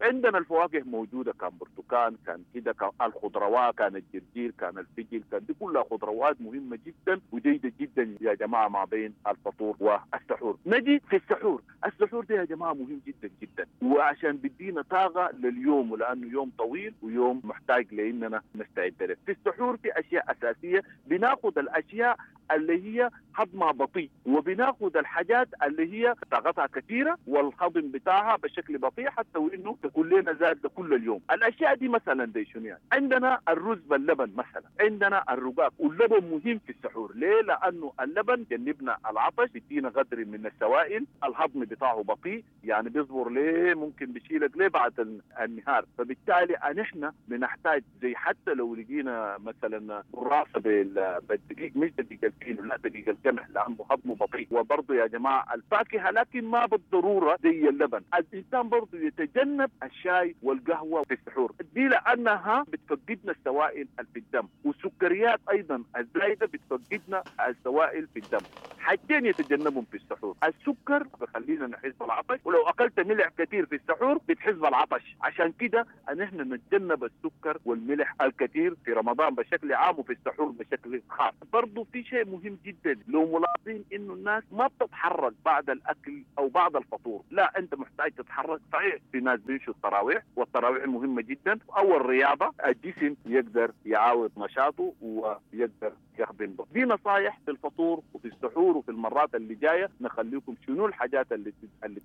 عندنا الفواكه موجودة، كان برتقال، كان كده، كان الخضروات، كان الجرجير، كان الفجل، كان دي كلها خضروات مهمة جدا وجيده جدا يا جماعة ما بين الفطور والسحور. نجي في السحور، السحور ده يا جماعة مهم جدا جدا، وعشان بدينا طاقة لليوم، ولانه يوم طويل ويوم محتاج لاننا نستعد له. في السحور في اشياء اساسية، بناخذ الاشياء اللي هي هضمها بطيء، وبناخذ الحاجات اللي هي طاقتها كثيرة والهضم بتاعها بشكل بطيء، حتى وانه تكون لنا زاد كل اليوم. الاشياء دي مثلا دي شنو يعني؟ عندنا الرز باللبن مثلا، عندنا الرقاق، واللبن مهم في السحور. ليه؟ لانه اللبن جنبنا العطش، بيدينا قدر من السوائل، الهضم بتاعه بطيء، يعني بيصبر ليه، ممكن بيشيلك ليه بعد النهار. فبالتالي نحن بنحتاج زي حتى لو لقينا مثلا قراصه بالدقيق، مش دقيق الفينو، لا دقيق القمح، لانه هضمه بطيء. وبرضه يا جماعة الفاكهة، لكن ما بالضرورة زي اللبن. الإنسان برضه يتجنب الشاي والقهوة في السحور دي، لأنها بتفقدنا السوائل في الدم، والسكريات أيضا الزايدة بتفقدنا السوائل في الدم. حاجتين يتجنبهم في السحور، السكر بخلينا نحس بالعطش، ولو أكلت ملح كثير في السحور بتحس بالعطش. عشان كده أن احنا نتجنب السكر والملح الكثير في رمضان بشكل عام، وفي السحور بشكل خاص. برضه في شيء مهم جدا لو ملاحظين إنه الناس ما بتتحرك بعد الأكل أو بعد الفطور، لا أنت محتاج تتحرك. صحيح في ناس بيمشوا التراويح، والتراويح مهمة جدا، أو الرياضة، الجسم يقدر يعاود نشاطه ويقدر يخدم به. دي نصايح في الفطور وفي السحور، وفي المرات اللي جاية نخليكم شنو الحاجات اللي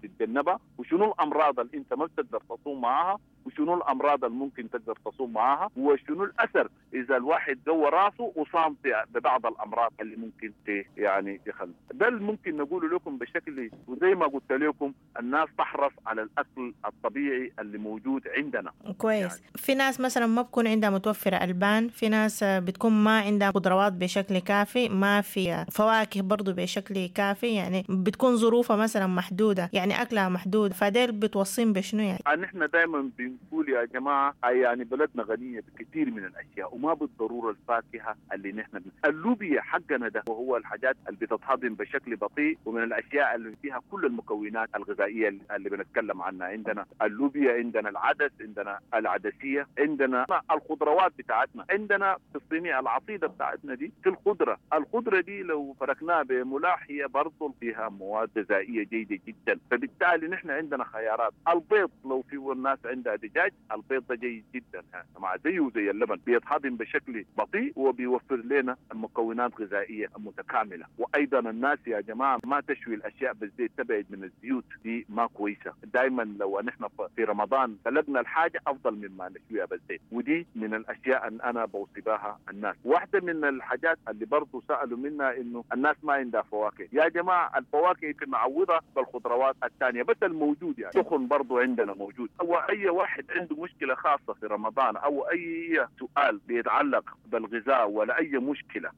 تتجنبها، وشنو الأمراض اللي أنت ما بتقدر تصوم معاها، وشنو الأمراض اللي ممكن تقدر تصوم معاها، وشنو الأثر إذا الواحد جوه راسه وصام ببعض الأمراض اللي ممكن يعني يخلي. ده اللي ممكن نقوله لكم بشكل، وزي ما قلت لكم الناس تحرص على الأكل الطبيعي اللي موجود عندنا.
كويس يعني. في ناس مثلا ما بكون عندها متوفرة ألبان، في ناس بتكون ما عندها خضروات بشكل كافي، ما في فواكه برضو بشكل كافي، يعني بتكون ظروفها مثلا محدودة، يعني أكلها محدود، فديل بتوصين بشنو يعني؟
نحن دائما بنقول يا جماعة يعني بلدنا غنية بكثير من الأشياء، وما بالضرورة الفاكهة اللي نحن اللوبيا حقنا ده، وهو الحاجات اللي بتتهضم بشكل بطيء، ومن الأشياء اللي فيها كل المكونات الغذائية اللي بنتكلم عنها. عندنا اللوبيا، عندنا العدس، عندنا العدسية، عندنا الخضروات بتاعتنا، عندنا في الصينية العصيدة بتاعتنا دي في الخضرة. الخضرة دي لو فركناها بملاح هي برضو فيها مواد غذائية جيدة جدا، فبالتالي نحن عندنا خيارات. البيض لو في الناس عندها دجاج الدجاج، البيض ده جيد جدا مع زيه زي اللبن، بيتهضم بشكل بطيء وبيوفر لنا المكونات الغذائية المتكاملة. وايضا الناس يا جماعة ما تشوي الاشياء بالزيت، تبعد من الزيوت دي ما كويسة. دائما لو نحن في رمضان سلقنا الحاجة افضل مما نشويها بالزيت، ودي من الاشياء ان انا بوصي بها الناس. واحدة من الحاجات اللي برضه سالوا منها انه الناس ما عندها فواكه. يا جماعة الفواكه يمكن نعوضها بالخضروات الثانية بس الموجود، يعني سخن برضه عندنا موجود. او اي واحد عنده مشكلة خاصة في رمضان او اي سؤال بيتعلق بالغذاء ولا اي مشكلة،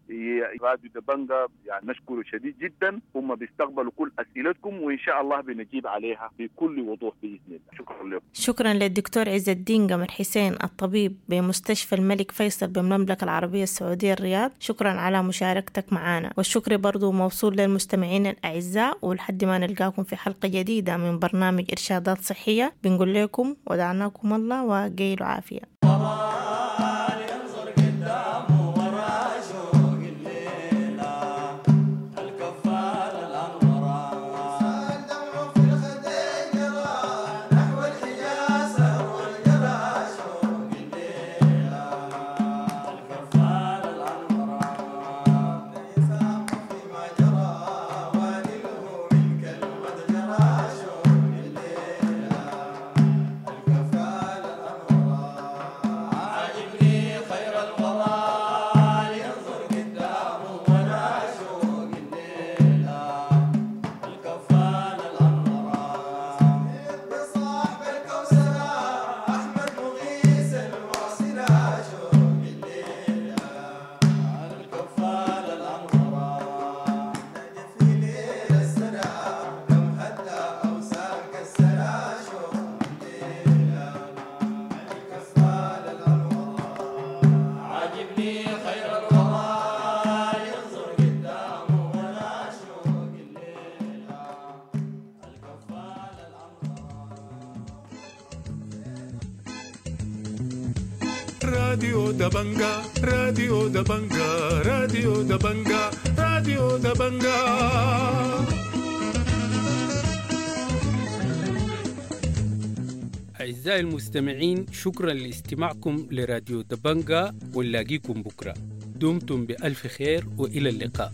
راديو دبنجا يعني نشكره شديد جدا، هم بيستقبلوا كل اسئلتكم وان شاء الله بنجيب عليها بكل وضوح باذن الله. شكرا لكم.
شكرا للدكتور عز الدين قمر حسين الطبيب بمستشفى الملك فيصل بالمملكة العربية السعودية الرياض، شكرا على مشاركتك معنا، والشكر برضو موصول للمستمعين الأعزاء، ولحد ما نلقاكم في حلقة جديدة من برنامج إرشادات صحية بنقول لكم ودعناكم الله وقيلوا عافية.
راديو دبنجا، راديو دبنجا، راديو دبنجا، راديو دبنجا.
أعزائي المستمعين، شكرا لاستماعكم لراديو دبنجا، ونلاقيكم بكرة. دمتم بألف خير وإلى اللقاء.